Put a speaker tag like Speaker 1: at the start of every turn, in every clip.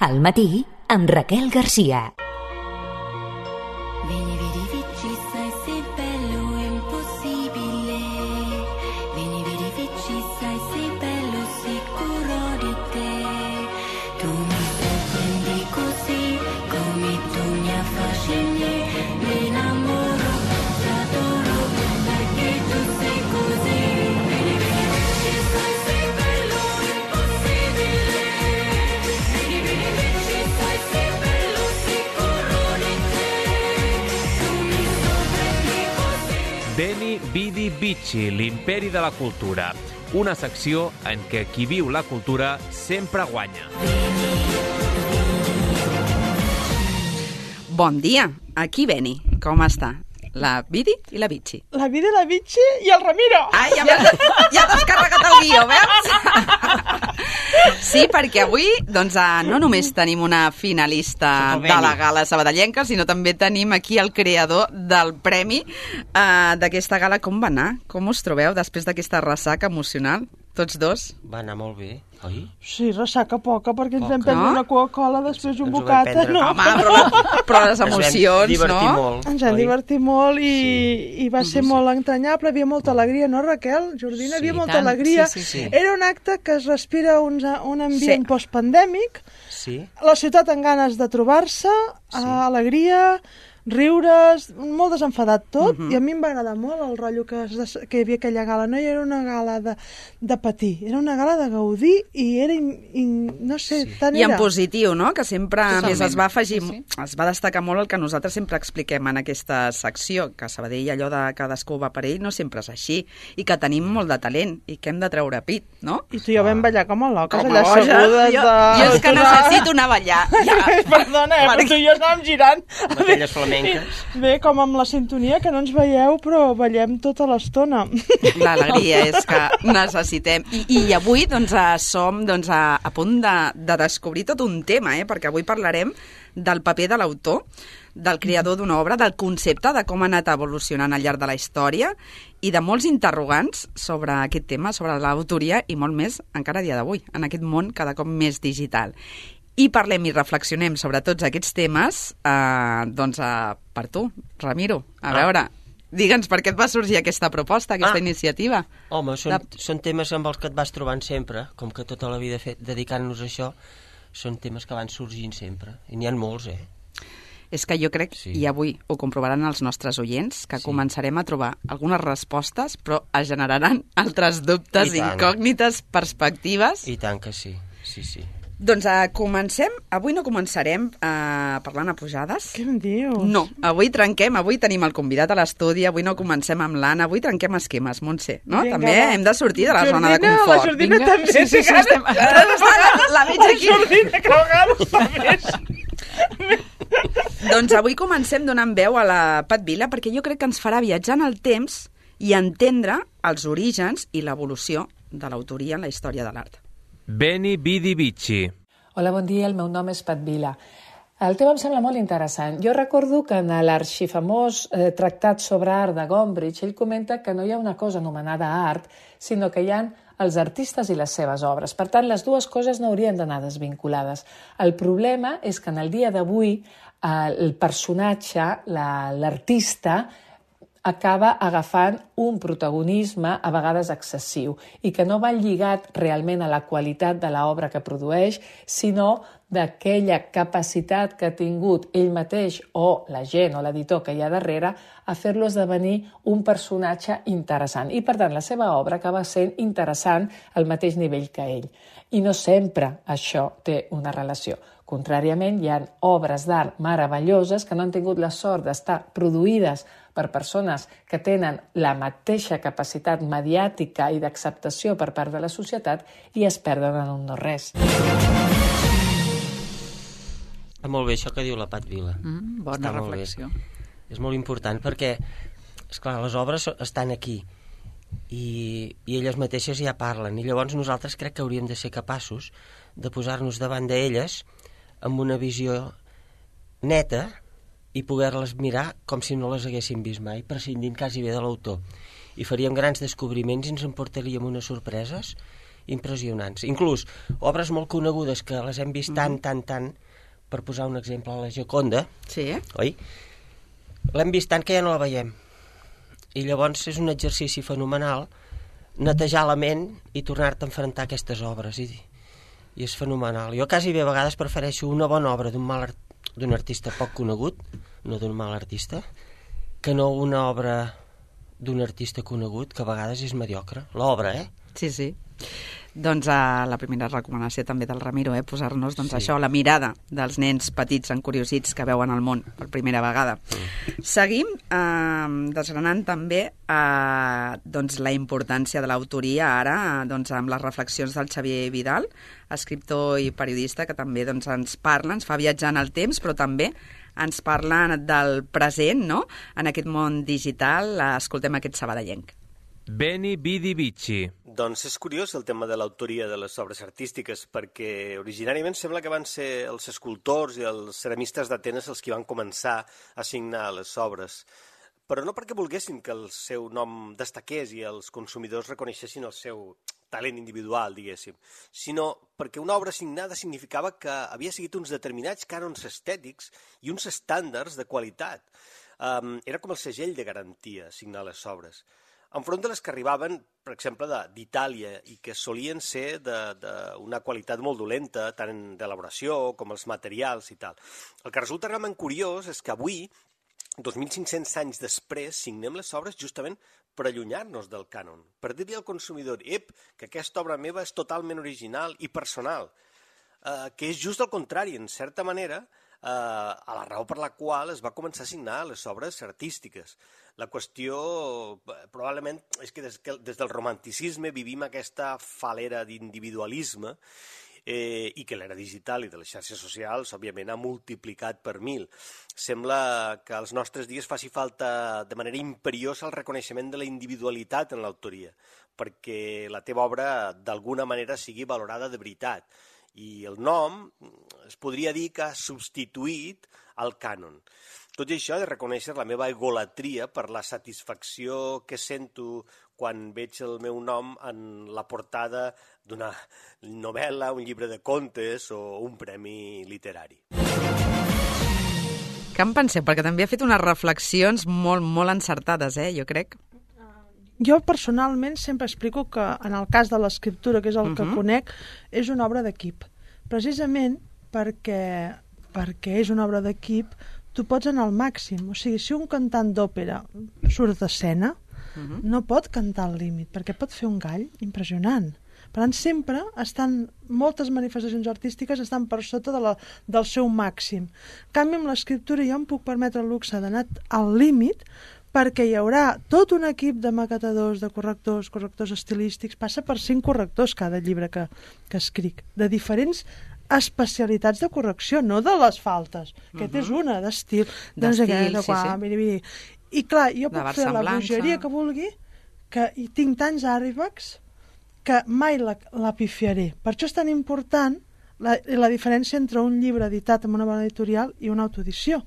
Speaker 1: Al matí, amb Raquel Garcia.
Speaker 2: Vieni, vedi, vici, sai, sei bello e impossibile. Vieni, vedi, vici, sai, sei bello, sicuro di te. Tu mi sorprendi così, come tu mi affascini. Mi innamoro, ti adoro, perché tu sei così. Vieni, vedi, vici, sai, sei bello e impossibile. Vieni, vedi, vici, sai, sei bello, sicuro di te.
Speaker 3: Beni, Vidi, Vici, l'imperi de la cultura. Una secció en què qui viu la cultura sempre guanya.
Speaker 4: Bon dia, aquí Beni. Com està? La Vidi i la Vici.
Speaker 5: La Vidi, la Vici i el Ramiro.
Speaker 4: Ai, ja t'has carregat el guió, veus? Sí, perquè avui doncs, no només tenim una finalista de la gala sabadellenca, sinó també tenim aquí el creador del premi d'aquesta gala. Com va anar? Com us trobeu després d'aquesta ressaca emocional? Tots dos?
Speaker 6: Va anar molt bé, oi?
Speaker 5: Sí, ressaca poca, perquè ens vam prendre una Coca-Cola, després un bocata, no?
Speaker 4: Home, però les emocions, no?
Speaker 5: Ens vam divertir molt i va ser molt entranyable, havia molta alegria, no, Raquel? Jordina, havia molta alegria.
Speaker 6: Sí.
Speaker 5: Era un acte que es respira un ambient postpandèmic, la ciutat amb ganes de trobar-se, alegria, riures, molt desenfadat tot, i a mi em va agradar molt el rotllo que hi havia aquella gala. No era una gala de patir, era una gala de gaudir i era, no sé, tant
Speaker 4: I
Speaker 5: era.
Speaker 4: en positiu, no? Que sempre, a més, es va afegir, es va destacar molt el que nosaltres sempre expliquem en aquesta secció, que a Sabadell allò de cadascú va per ell no sempre és així, i que tenim molt de talent, i que hem de treure pit, no?
Speaker 5: I tu i jo vam ballar com a loques,
Speaker 4: Com
Speaker 5: allà
Speaker 4: a boja.
Speaker 5: assegudes de...
Speaker 4: Jo és que necessito anar a ballar.
Speaker 5: Perdona, però tu i jo anàvem girant.
Speaker 6: Aquelles flamenques.
Speaker 5: Bé, com amb la sintonia, que no ens veieu, però ballem tota l'estona.
Speaker 4: L'alegria és que necessitem. I avui doncs, som a punt de descobrir tot un tema, perquè avui parlarem del paper de l'autor, del creador d'una obra, del concepte, de com ha anat evolucionant al llarg de la història i de molts interrogants sobre aquest tema, sobre l'autoria i molt més encara a dia d'avui, en aquest món cada cop més digital. I parlem i reflexionem sobre tots aquests temes, per tu, Ramiro. A veure, digue'ns per què et va sorgir aquesta proposta, aquesta iniciativa.
Speaker 6: Home, són temes amb els que et vas trobant sempre, com que tota la vida dedicant-nos a això, són temes que van sorgint sempre, i n'hi ha molts,
Speaker 4: És que jo crec, i avui ho comprovaran els nostres oients, que començarem a trobar algunes respostes, però es generaran altres dubtes, incògnites, perspectives.
Speaker 6: I tant que sí.
Speaker 4: Doncs comencem. Avui no començarem parlant a pujades.
Speaker 5: Què em dius?
Speaker 4: No, avui trenquem, avui tenim el convidat a l'estudi, avui no comencem amb l'Anna, avui trenquem esquemes, Montse, no?
Speaker 5: Vinga,
Speaker 4: també hem de sortir de la zona de
Speaker 5: Jordina,
Speaker 4: confort.
Speaker 5: la Jordina també.
Speaker 4: Sí, estem... La veig aquí.
Speaker 5: La Jordina, que a vegades també.
Speaker 4: Doncs avui comencem donant veu a la Pat Vila, perquè jo crec que ens farà viatjar en el temps i entendre els orígens i l'evolució de l'autoria en la història de l'art.
Speaker 3: Beni, Vidi, Vici.
Speaker 7: Hola, bon dia, el meu nom és Pat Vila. El tema em sembla molt interessant. Jo recordo que en l'arxifamós tractat sobre art de Gombrich, ell comenta que no hi ha una cosa anomenada art, sinó que hi ha els artistes i les seves obres. Per tant, les dues coses no haurien d'anar desvinculades. El problema és que en el dia d'avui el personatge, l'artista, acaba agafant un protagonisme a vegades excessiu i que no va lligat realment a la qualitat de l'obra que produeix, sinó d'aquella capacitat que ha tingut ell mateix o la gent o l'editor que hi ha darrere a fer-lo esdevenir un personatge interessant. I, per tant, la seva obra acaba sent interessant al mateix nivell que ell. I no sempre això té una relació. Contràriament, hi ha obres d'art meravelloses que no han tingut la sort d'estar produïdes per persones que tenen la mateixa capacitat mediàtica i d'acceptació per part de la societat i es perden en un no-res.
Speaker 6: Molt bé, això que diu la Pat Vila.
Speaker 4: Bona reflexió.
Speaker 6: És molt important perquè, esclar, les obres estan aquí i elles mateixes ja parlen i llavors nosaltres crec que hauríem de ser capaços de posar-nos davant d'elles amb una visió neta i poder-les mirar com si no les haguéssim vist mai, prescindint quasi bé de l'autor. I faríem grans descobriments i ens emportaríem unes sorpreses impressionants. Inclús obres molt conegudes que les hem vist tant, per posar un exemple, la Gioconda, oi? L'hem vist tant que ja no la veiem. I llavors és un exercici fenomenal netejar la ment i tornar-te a enfrontar a aquestes obres. I és fenomenal. Jo quasi bé a vegades prefereixo una bona obra d'un artista poc conegut, no d'un mal artista, que no una obra d'un artista conegut, que a vegades és mediocre. L'obra,
Speaker 4: Sí. Doncs la primera recomanació també del Ramiro, posar-nos això, la mirada dels nens petits encuriosits que veuen el món per primera vegada. Seguim desgranant també la importància de l'autoria ara amb les reflexions del Xavier Vidal, escriptor i periodista, que també ens parla, ens fa viatjar en el temps, però també ens parla del present, no?, en aquest món digital. Escoltem aquest sabadellenc.
Speaker 3: Beni Bidi Bici.
Speaker 8: Doncs és curiós el tema de l'autoria de les obres artístiques, perquè originàriament sembla que van ser els escultors i els ceramistes d'Atenes els que van començar a signar les obres, però no perquè volguessin que el seu nom destaqués i els consumidors reconeixessin el seu talent individual, diguéssim, sinó perquè una obra signada significava que havia seguit uns determinats cànons estètics i uns estàndards de qualitat. Era com el segell de garantia signar les obres. Enfront de les que arribaven, per exemple, d'Itàlia, i que solien ser d'una qualitat molt dolenta, tant d'elaboració com els materials i tal. El que resulta realment curiós és que avui, 2.500 anys després, signem les obres justament per allunyar-nos del cànon, per dir-li al consumidor, que aquesta obra meva és totalment original i personal, que és just el contrari, en certa manera, a la raó per la qual es va començar a signar les obres artístiques. La qüestió, probablement, és que des del romanticisme vivim aquesta falera d'individualisme i que l'era digital i de les xarxes socials, òbviament, ha multiplicat per 1000. Sembla que als nostres dies faci falta de manera imperiosa el reconeixement de la individualitat en l'autoria, perquè la teva obra d'alguna manera sigui valorada de veritat. I el nom es podria dir que ha substituït el cànon. Tot i això, he de reconèixer la meva egolatria per la satisfacció que sento quan veig el meu nom en la portada d'una novel·la, un llibre de contes o un premi literari.
Speaker 4: Què en penseu? Perquè també ha fet unes reflexions molt, molt encertades, jo crec.
Speaker 5: Jo personalment sempre explico que en el cas de l'escriptura, que és el que conec, és una obra d'equip. Precisament perquè és una obra d'equip, tu pots anar al màxim. O sigui, si un cantant d'òpera surt d'escena, no pot cantar al límit, perquè pot fer un gall impressionant. Per tant, sempre moltes manifestacions artístiques estan per sota del seu màxim. En canvi, amb l'escriptura jo em puc permetre el luxe d'anar al límit, perquè hi haurà tot un equip de maquetadors, de correctors estilístics, passa per 5 correctors cada llibre que escric, de diferents especialitats de correcció, no de les faltes. Aquest és una, d'estil.
Speaker 4: Sí.
Speaker 5: I clar, jo puc fer la bogeria que vulgui, que hi tinc tants àrbics que mai la pifiaré. Per això és tan important la diferència entre un llibre editat en una bona editorial i una autoedició.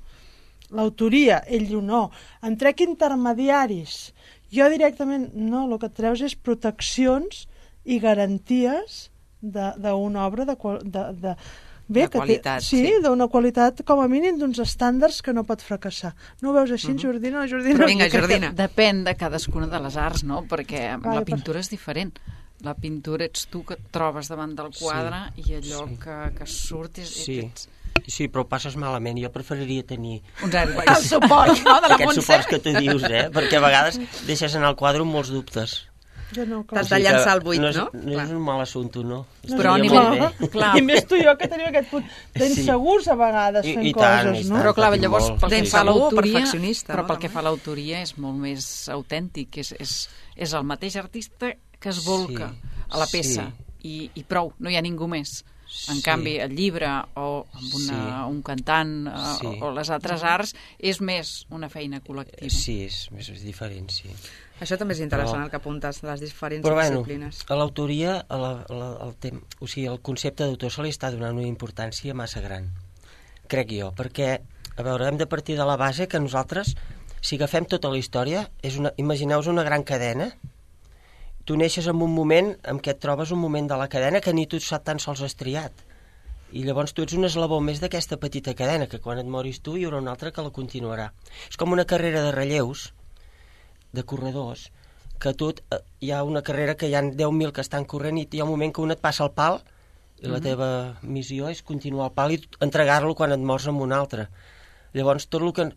Speaker 5: L'autoria, ell diu no, en trec intermediaris. Jo directament, no, el que et treus és proteccions i garanties d'una obra de
Speaker 4: qualitat.
Speaker 5: Sí, d'una qualitat, com a mínim, d'uns estàndards que no pot fracassar. No ho veus així, Jordina?
Speaker 4: Però vinga, Jordina.
Speaker 9: Depèn de cadascuna de les arts, no? Perquè la pintura és diferent. La pintura ets tu que et trobes davant del quadre i allò que surt és...
Speaker 6: Sí, però ho passes malament. Jo preferiria tenir...
Speaker 4: El suport, no?, de la
Speaker 6: Aquests suports que tu dius, perquè a vegades deixes en el quadre amb molts dubtes.
Speaker 4: T'has de llançar al buit, no?
Speaker 6: No és un mal assumpte, no?
Speaker 9: Però
Speaker 5: I més tu i jo que tenim aquest punt d'insegurs a vegades fent coses, no?
Speaker 9: Però clar, llavors pel que fa a l'autoria,
Speaker 4: però
Speaker 9: pel que fa a l'autoria és molt més autèntic, és el mateix artista que es volca a la peça i prou, no hi ha ningú més. En canvi, el llibre o amb un cantant o les altres arts és més una feina col·lectiva.
Speaker 6: Sí, és més diferent, sí.
Speaker 4: Això també és interessant, el que apuntes, les diferents disciplines.
Speaker 6: Però a l'autoria, el concepte d'autor se li està donant una importància massa gran, crec jo, perquè, a veure, hem de partir de la base que nosaltres, si agafem tota la història, imagineu-vos una gran cadena tu neixes en un moment en què et trobes un moment de la cadena que ni tu tan sols has triat. I llavors tu ets un eslabó més d'aquesta petita cadena, que quan et moris tu hi haurà un altre que la continuarà. És com una carrera de relleus, de corredors, que hi ha una carrera que hi ha 10.000 que estan corrent i hi ha un moment que un et passa el pal i la teva missió és continuar el pal i entregar-lo quan et mors amb un altre. Llavors tot el que...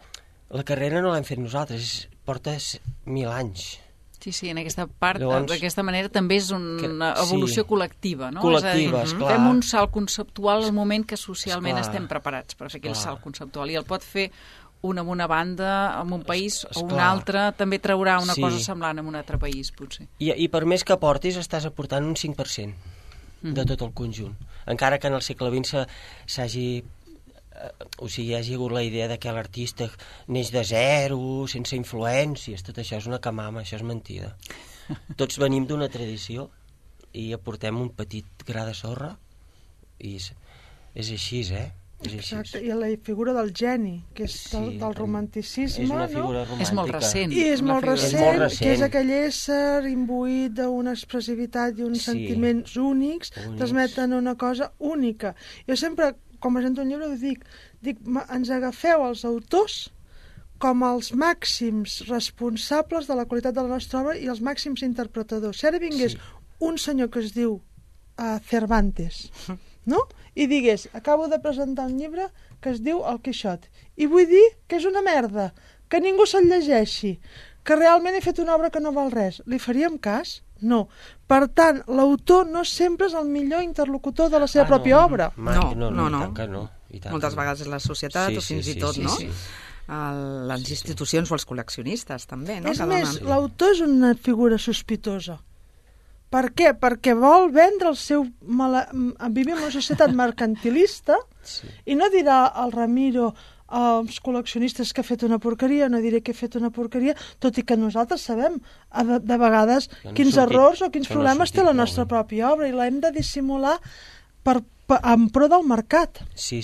Speaker 6: La carrera no l'hem fet nosaltres, porta 1.000 anys.
Speaker 9: Sí, en aquesta part, d'aquesta manera, també és una evolució col·lectiva, no?
Speaker 6: Col·lectiva, esclar.
Speaker 9: Fem un salt conceptual al moment que socialment estem preparats per fer aquell salt conceptual, i el pot fer un en una banda, en un país, o un altre, també traurà una cosa semblant en un altre país, potser. I
Speaker 6: per més que portis, estàs aportant un 5% de tot el conjunt. Encara que en el segle XX hi hagi hagut la idea de que l'artista neix de zero, sense influències, tot això és una camama, això és mentida. Tots venim d'una tradició i aportem un petit gra de sorra i és així,
Speaker 5: Exacte, i la figura del geni, que és del romanticisme,
Speaker 6: és una figura romàntica.
Speaker 9: És molt recent.
Speaker 5: I és molt recent, que és aquell ésser imbuït d'una expressivitat i uns sentiments únics, transmeten una cosa única. Jo sempre, quan presento un llibre, dic, ens agafeu els autors com els màxims responsables de la qualitat de la nostra obra i els màxims interpretadors. Si ara vingués un senyor que es diu Cervantes, no? I digués, acabo de presentar un llibre que es diu El Quixot, i vull dir que és una merda, que ningú se'l llegeixi, que realment he fet una obra que no val res. Li faríem cas? No. Per tant, l'autor no sempre és el millor interlocutor de la seva pròpia obra.
Speaker 6: No.
Speaker 4: Moltes vegades és la societat o fins i tot, no? Les institucions o els col·leccionistes, també, no?
Speaker 5: És més, l'autor és una figura sospitosa. Per què? Perquè vol vendre el seu... Vivim en una societat mercantilista i no dirà al Ramiro als col·leccionistes que ha fet una porqueria, no diré que he fet una porqueria, tot i que nosaltres sabem de vegades quins errors o quins problemes té la nostra pròpia obra i l'hem de dissimular en pro del mercat.
Speaker 6: Sí.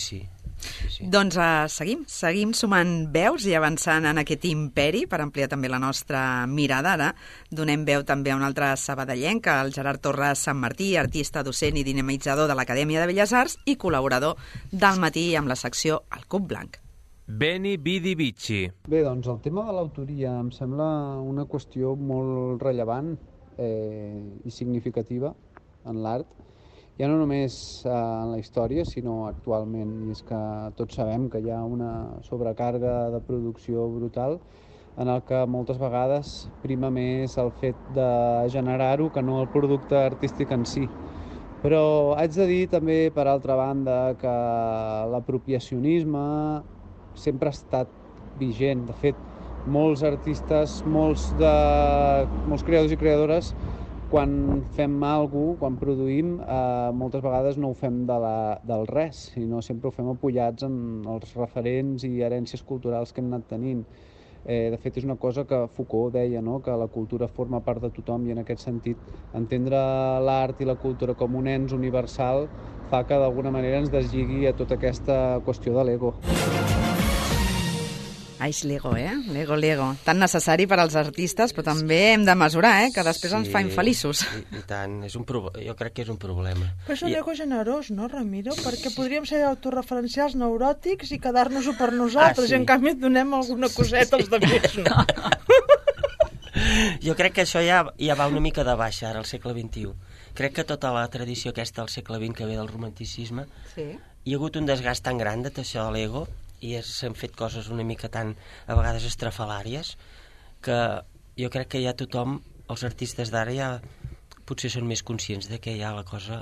Speaker 4: Doncs seguim sumant veus i avançant en aquest imperi per ampliar també la nostra mirada. Ara donem veu també a un altre sabadellenc, el Gerard Torres Sant Martí, artista, docent i dinamitzador de l'Acadèmia de Belles Arts i col·laborador del Matí amb la secció El Cub Blanc.
Speaker 3: Beni Vidi Vici.
Speaker 10: Bé, doncs el tema de l'autoria em sembla una qüestió molt rellevant i significativa en l'art, ja no només en la història, sinó actualment. I és que tots sabem que hi ha una sobrecàrrega de producció brutal en el que moltes vegades prima més el fet de generar-ho que no el producte artístic en si. Però haig de dir també, per altra banda, que l'apropiacionisme sempre ha estat vigent. De fet, molts artistes, molts creadors i creadores, quan fem alguna cosa, quan produïm, moltes vegades no ho fem del res, sinó sempre ho fem apoyats en els referents i herències culturals que hem anat tenint. De fet, és una cosa que Foucault deia, no? Que la cultura forma part de tothom i en aquest sentit entendre l'art i la cultura com un ens universal fa que d'alguna manera ens deslligui a tota aquesta qüestió de l'ego.
Speaker 4: L'ego, l'ego. Tan necessari per als artistes, però també hem de mesurar, que després ens fa infeliços.
Speaker 6: I tant, jo crec que és un problema.
Speaker 5: Però és un ego generós, no, Ramiro? Perquè podríem ser autorreferencials neuròtics i quedar-nos-ho per nosaltres, i en canvi et donem alguna coseta als altres, no?
Speaker 6: Jo crec que això ja va una mica de baixa, ara, al segle XXI. Crec que tota la tradició aquesta del segle XX que ve del romanticisme, hi ha hagut un desgast tan gran de això de l'ego, i s'han fet coses una mica tan, a vegades, estrafalàries, que jo crec que ja tothom, els artistes d'ara ja potser són més conscients de que ja la cosa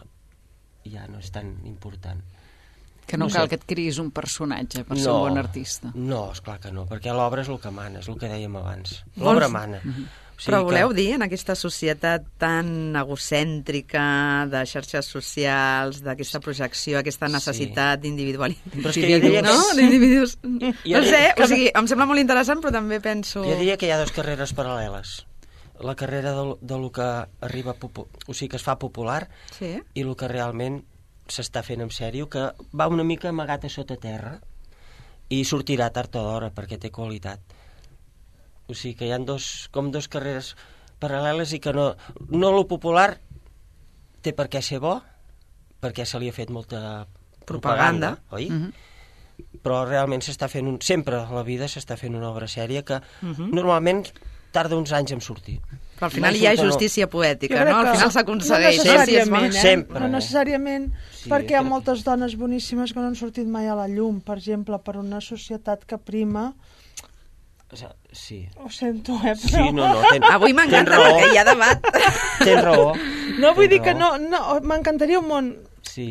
Speaker 6: ja no és tan important.
Speaker 9: Que no cal que et criïs un personatge per ser un bon artista.
Speaker 6: No, esclar que no, perquè l'obra és el que mana, és el que dèiem abans. L'obra mana.
Speaker 4: Però voleu dir, en aquesta societat tan egocèntrica, de xarxes socials, d'aquesta projecció, aquesta necessitat d'individus, no sé, o sigui, em sembla molt interessant, però també penso...
Speaker 6: Jo diria que hi ha dues carreres paral·leles. La carrera de lo que arriba, o sigui, que es fa popular, i el que realment s'està fent en sèrio, que va una mica amagat a sota terra i sortirà tard o d'hora perquè té qualitat. O sigui que hi ha dos carreres paral·leles i que no lo popular té per què ser bo, perquè se li ha fet molta propaganda, oi? Però realment s'està fent sempre a la vida s'està fent una obra sèria que normalment tarda uns anys en sortir.
Speaker 4: Però al final hi ha justícia poètica, no? Al final s'aconsegueix.
Speaker 5: No necessàriament, perquè hi ha moltes dones boníssimes que no han sortit mai a la llum, per exemple, per una societat que prima.
Speaker 6: Sí.
Speaker 5: Ho sento, però...
Speaker 6: Sí, no,
Speaker 4: avui m'encanta perquè hi ha debat.
Speaker 6: Tens raó.
Speaker 5: No, vull dir que no, m'encantaria un món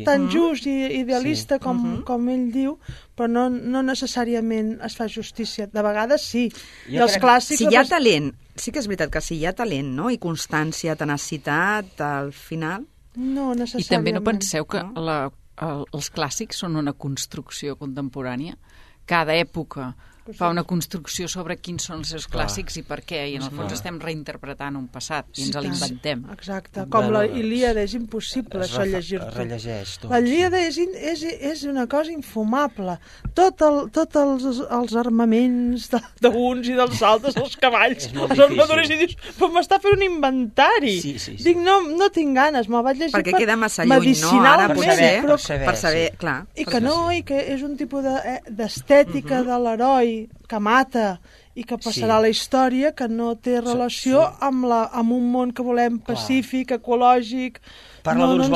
Speaker 5: tan just i idealista com ell diu, però no necessàriament es fa justícia. De vegades sí. I els clàssics...
Speaker 4: Si hi ha talent, sí que és veritat que si hi ha talent, no? I constància, tenacitat, al final...
Speaker 5: No necessàriament.
Speaker 9: I també no penseu que els clàssics són una construcció contemporània? Cada època fa una construcció sobre quins són els seus clàssics i per què, i en el fons estem reinterpretant un passat i ens l'inventem.
Speaker 5: Exacte, com la Ilíada, és impossible això llegir-ho. La Ilíada és una cosa infumable. Tots els armaments d'uns i dels altres, els cavalls, els armadures, i dius, però m'està fent un inventari. Dic, no tinc ganes, me'l vaig llegir
Speaker 4: perquè queda massa lluny, no? Ara per saber, clar.
Speaker 5: I que és un tipus d'estètica de l'heroi que mata i que passarà a la història, que no té relació amb un món que volem pacífic, ecològic.
Speaker 6: Parla d'uns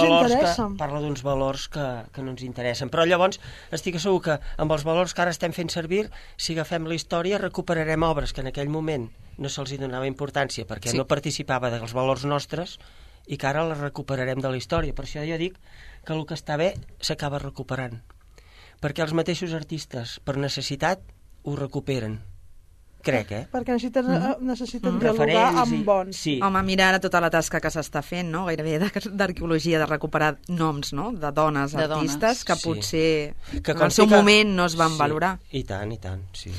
Speaker 6: valors que no ens interessen. Però llavors estic segur que amb els valors que ara estem fent servir, si agafem la història, recuperarem obres que en aquell moment no se'ls donava importància perquè no participava dels valors nostres i que ara les recuperarem de la història. Per això jo dic que el que està bé s'acaba recuperant. Perquè els mateixos artistes, per necessitat, ho recuperen. Crec,
Speaker 5: Perquè necessiten dialogar amb bons.
Speaker 4: Home, mira ara tota la tasca que s'està fent, no? Gairebé d'arqueologia, de recuperar noms, no? De dones artistes que potser en el seu moment no es van valorar.
Speaker 6: I tant, sí.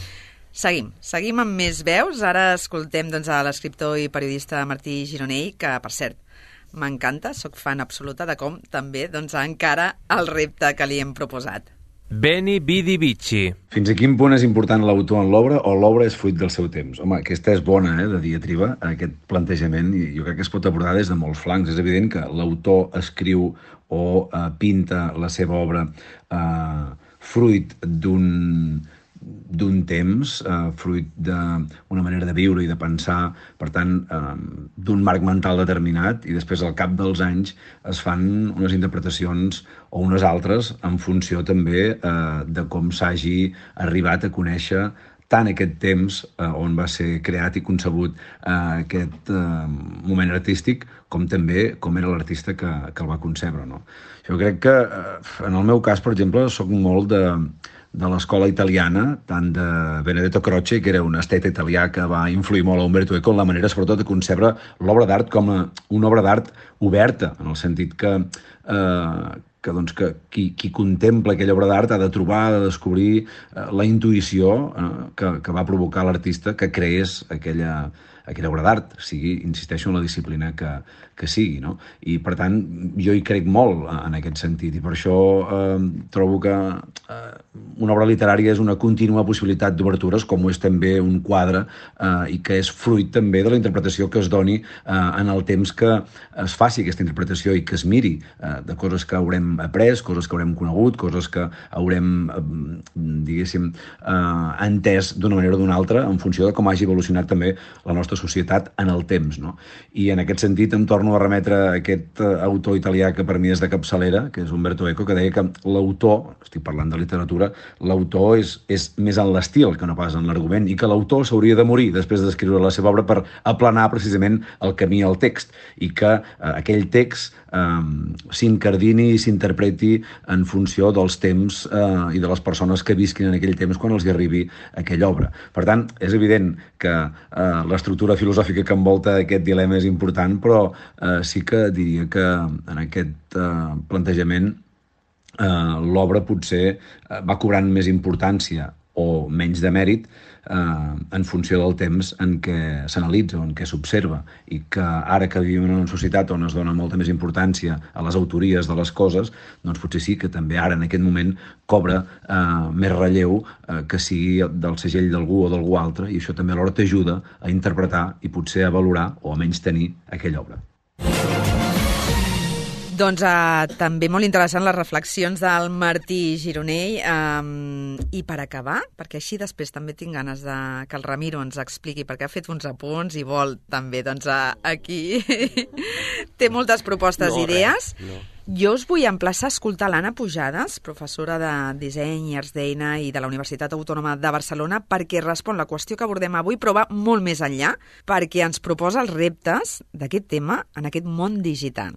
Speaker 4: Seguim amb més veus. Ara escoltem a l'escriptor i periodista Martí Gironell, que, per cert, m'encanta, sóc fan absoluta de com també encara el repte que li hem proposat.
Speaker 3: Beni Vidi Vici.
Speaker 11: Fins a quin punt és important l'autor en l'obra o l'obra és fruit del seu temps? Home, aquesta és bona, de diatriba, aquest plantejament, i jo crec que es pot abordar des de molts flancs. És evident que l'autor escriu o pinta la seva obra fruit d'un temps, fruit d'una manera de viure i de pensar, per tant, d'un marc mental determinat, i després al cap dels anys es fan unes interpretacions o unes altres en funció també de com s'hagi arribat a conèixer tant aquest temps on va ser creat i concebut aquest moment artístic, com també com era l'artista que el va concebre, no? Jo crec que, en el meu cas, per exemple, soc molt de l'escola italiana, tant de Benedetto Croce, que era un esteta italià que va influir molt a Umberto Eco en la manera, sobretot, de concebre l'obra d'art com una obra d'art oberta, en el sentit que qui contempla aquella obra d'art ha de trobar, ha de descobrir la intuïció que va provocar l'artista que creés aquella obra d'art, sigui, insisteixo, en la disciplina que sigui, no? I, per tant, jo hi crec molt en aquest sentit, i per això trobo que una obra literària és una contínua possibilitat d'obertures, com ho és també un quadre, i que és fruit també de la interpretació que es doni en el temps que es faci aquesta interpretació i que es miri de coses que haurem après, coses que haurem conegut, coses que haurem, diguéssim, entès d'una manera o d'una altra en funció de com hagi evolucionat també la nostra societat en el temps, no? I en aquest sentit em torno a remetre a aquest autor italià que per mi és de capçalera, que és Umberto Eco, que deia que l'autor, estic parlant de literatura, l'autor és més en l'estil que no pas en l'argument, i que l'autor s'hauria de morir després d'escriure la seva obra per aplanar precisament el camí al text, i que aquell text s'incardini i s'interpreti en funció dels temps i de les persones que visquin en aquell temps quan els hi arribi aquella obra. Per tant, és evident que l'estructura filosòfica que envolta aquest dilema és important, però sí que diria que en aquest plantejament l'obra potser va cobrant més importància o menys de mèrit en funció del temps en què s'analitza o en què s'observa, i que ara que vivim en una societat on es dona molta més importància a les autories de les coses, doncs potser sí que també ara en aquest moment cobra més relleu que sigui del segell d'algú o d'algú altre, i això també alhora t'ajuda a interpretar i potser a valorar o a menys tenir aquella obra.
Speaker 4: Doncs també molt interessant les reflexions del Martí Gironell. I per acabar, perquè així després també tinc ganes que el Ramiro ens expliqui, perquè ha fet uns apunts i vol també, doncs aquí té moltes propostes i idees. Jo us vull emplaçar a escoltar l'Anna Pujades, professora de disseny i arts d'eina i de la Universitat Autònoma de Barcelona, perquè respon la qüestió que abordem avui, però va molt més enllà, perquè ens proposa els reptes d'aquest tema en aquest món digital.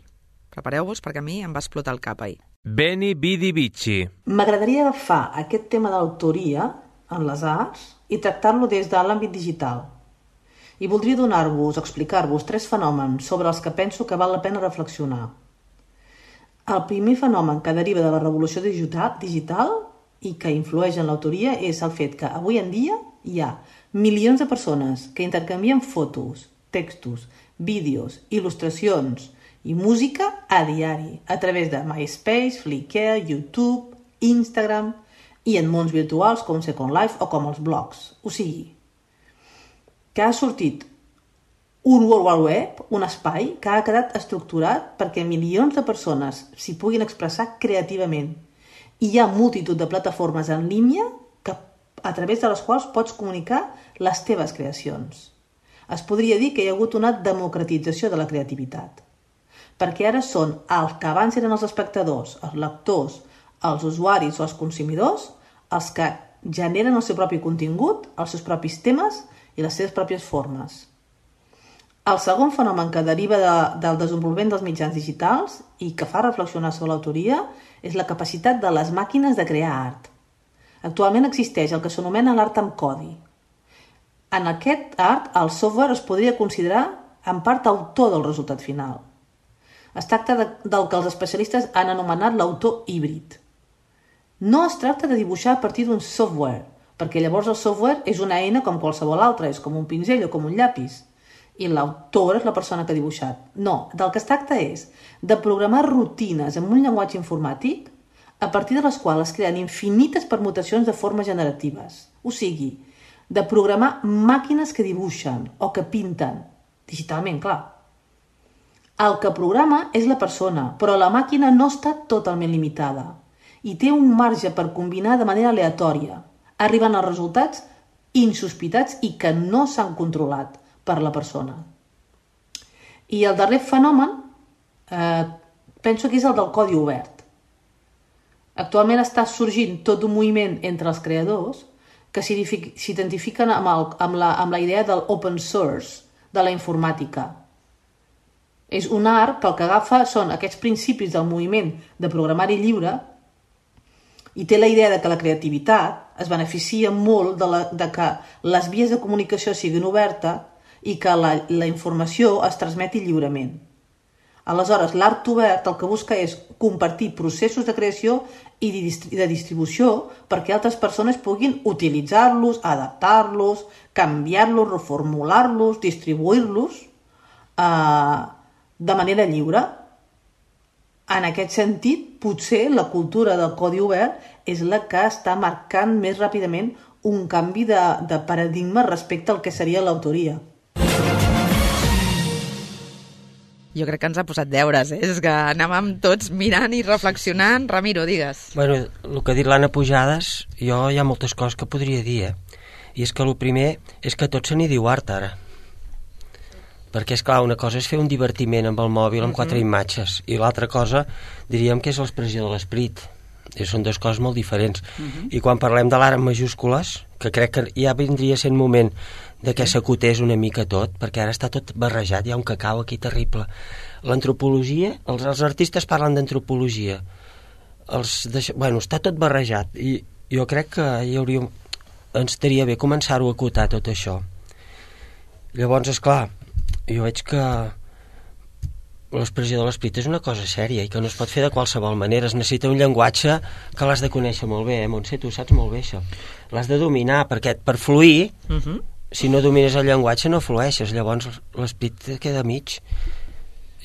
Speaker 4: Prepareu-vos, perquè a mi em va explotar el cap ahir.
Speaker 3: Beni Bidi Bici.
Speaker 12: M'agradaria agafar aquest tema d'autoria en les arts i tractar-lo des de l'àmbit digital. I voldria donar-vos, explicar-vos 3 fenòmens sobre els que penso que val la pena reflexionar. El primer fenomen que deriva de la revolució digital i que influeix en l'autoria és el fet que avui en dia hi ha milions de persones que intercanvien fotos, textos, vídeos, il·lustracions i música a diari, a través de MySpace, Flickr, YouTube, Instagram i en mons virtuals com Second Life o com els blogs. O sigui, que ha sortit un World Wide Web, un espai que ha quedat estructurat perquè milions de persones s'hi puguin expressar creativament. I hi ha multitud de plataformes en línia a través de les quals pots comunicar les teves creacions. Es podria dir que hi ha hagut una democratització de la creativitat, perquè ara són els que abans eren els espectadors, els lectors, els usuaris o els consumidors, els que generen el seu propi contingut, els seus propis temes i les seves pròpies formes. El segon fenomen que deriva del desenvolupament dels mitjans digitals i que fa reflexionar sobre l'autoria és la capacitat de les màquines de crear art. Actualment existeix el que s'anomena l'art amb codi. En aquest art, el software es podria considerar en part autor del resultat final. Es tracta del que els especialistes han anomenat l'autor híbrid. No es tracta de dibuixar a partir d'un software, perquè llavors el software és una eina com qualsevol altra, és com un pinzell o com un llapis, i l'autor és la persona que ha dibuixat. No, del que es tracta és de programar rutines en un llenguatge informàtic a partir de les quals es creen infinites permutacions de formes generatives. O sigui, de programar màquines que dibuixen o que pinten, digitalment, clar. El que programa és la persona, però la màquina no està totalment limitada i té un marge per combinar de manera aleatòria, arribant a resultats insospitats i que no s'han controlat per la persona. I el darrer fenomen penso que és el del codi obert. Actualment està sorgint tot un moviment entre els creadors que s'identifiquen amb la idea del open source, de la informàtica. És un art que el que agafa són aquests principis del moviment de programari lliure i té la idea de que la creativitat es beneficia molt de que les vies de comunicació siguin obertes i que la informació es transmeti lliurement. Aleshores, l'art obert el que busca és compartir processos de creació i de distribució perquè altres persones puguin utilitzar-los, adaptar-los, canviar-los, reformular-los, distribuir-los de manera lliure. En aquest sentit, potser la cultura del codi obert és la que està marcant més ràpidament un canvi de paradigma respecte al que seria l'autoria.
Speaker 4: Jo crec que ens ha posat deures, És que anàvem tots mirant i reflexionant. Ramiro, digues.
Speaker 6: Bueno, el que ha dit l'Anna Pujades, jo hi ha moltes coses que podria dir, I és que el primer és que tot se n'hi diu art, ara. Perquè, és clar, una cosa és fer un divertiment amb el mòbil amb 4 imatges i l'altra cosa diríem que és l'expressió de l'esperit. Són dues coses molt diferents. I quan parlem de l'art en majúscules, que crec que ja vindria sent moment de que s'acotés una mica tot, perquè ara està tot barrejat, hi ha un cacau aquí terrible. L'antropologia, els artistes parlen d'antropologia. Bueno, està tot barrejat i jo crec que ens estaria bé començar-ho a acotar tot això. Llavors, esclar, jo veig que l'expressió de l'esperit és una cosa sèria i que no es pot fer de qualsevol manera. Es necessita un llenguatge que l'has de conèixer molt bé, Montse, tu saps molt bé això. L'has de dominar, perquè per fluir, si no domines el llenguatge no flueixes, llavors l'esperit queda mig.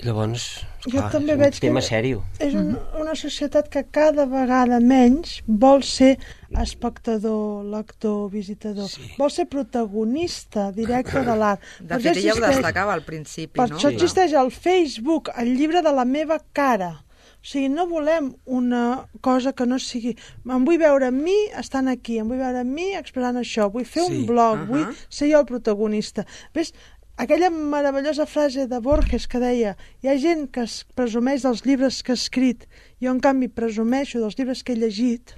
Speaker 6: Llavors, clar, és un tema sèrio.
Speaker 5: És una societat que cada vegada menys vol ser espectador, lector, visitador. Vol ser protagonista directe de l'art.
Speaker 4: De fet, ella ho destacava al principi,
Speaker 5: no? Per això existeix el Facebook, el llibre de la meva cara. O sigui, no volem una cosa que no sigui... Em vull veure a mi estant aquí, em vull veure a mi expressant això, vull fer un blog, vull ser jo el protagonista. Ves, aquella meravellosa frase de Borges que deia hi ha gent que es presumeix dels llibres que ha escrit, jo en canvi presumeixo dels llibres que he llegit,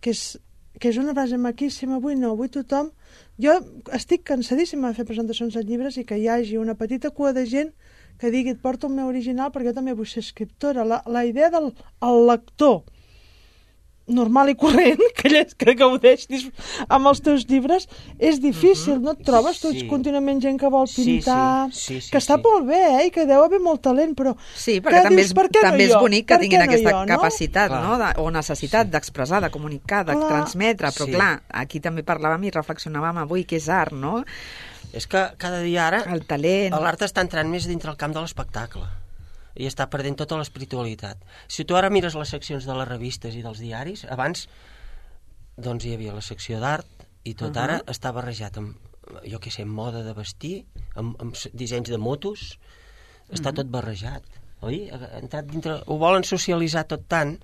Speaker 5: que és una frase maquíssima. Avui tothom... Jo estic cansadíssima de fer presentacions de llibres i que hi hagi una petita cua de gent que digui et porto el meu original perquè jo també vull ser escriptora. La idea del lector normal i corrent que gaudeix amb els teus llibres és difícil, no et trobes? Tu ets contínuament gent que vol pintar, que està molt bé, i que deu haver molt talent, però...
Speaker 4: Sí, perquè també és bonic que tinguin aquesta capacitat o necessitat d'expressar, de comunicar, de transmetre, però clar, aquí també parlàvem i reflexionàvem avui que és art, no?
Speaker 6: És que cada dia ara
Speaker 4: el talent,
Speaker 6: l'art està entrant més dintre el camp de l'espectacle i està perdent tota l'espiritualitat. Si tu ara mires les seccions de les revistes i dels diaris, abans doncs hi havia la secció d'art i tot ara està barrejat amb, jo què sé, amb moda de vestir, amb dissenys de motos, està tot barrejat, oi? Ha entrat dintre, ho volen socialitzar tot tant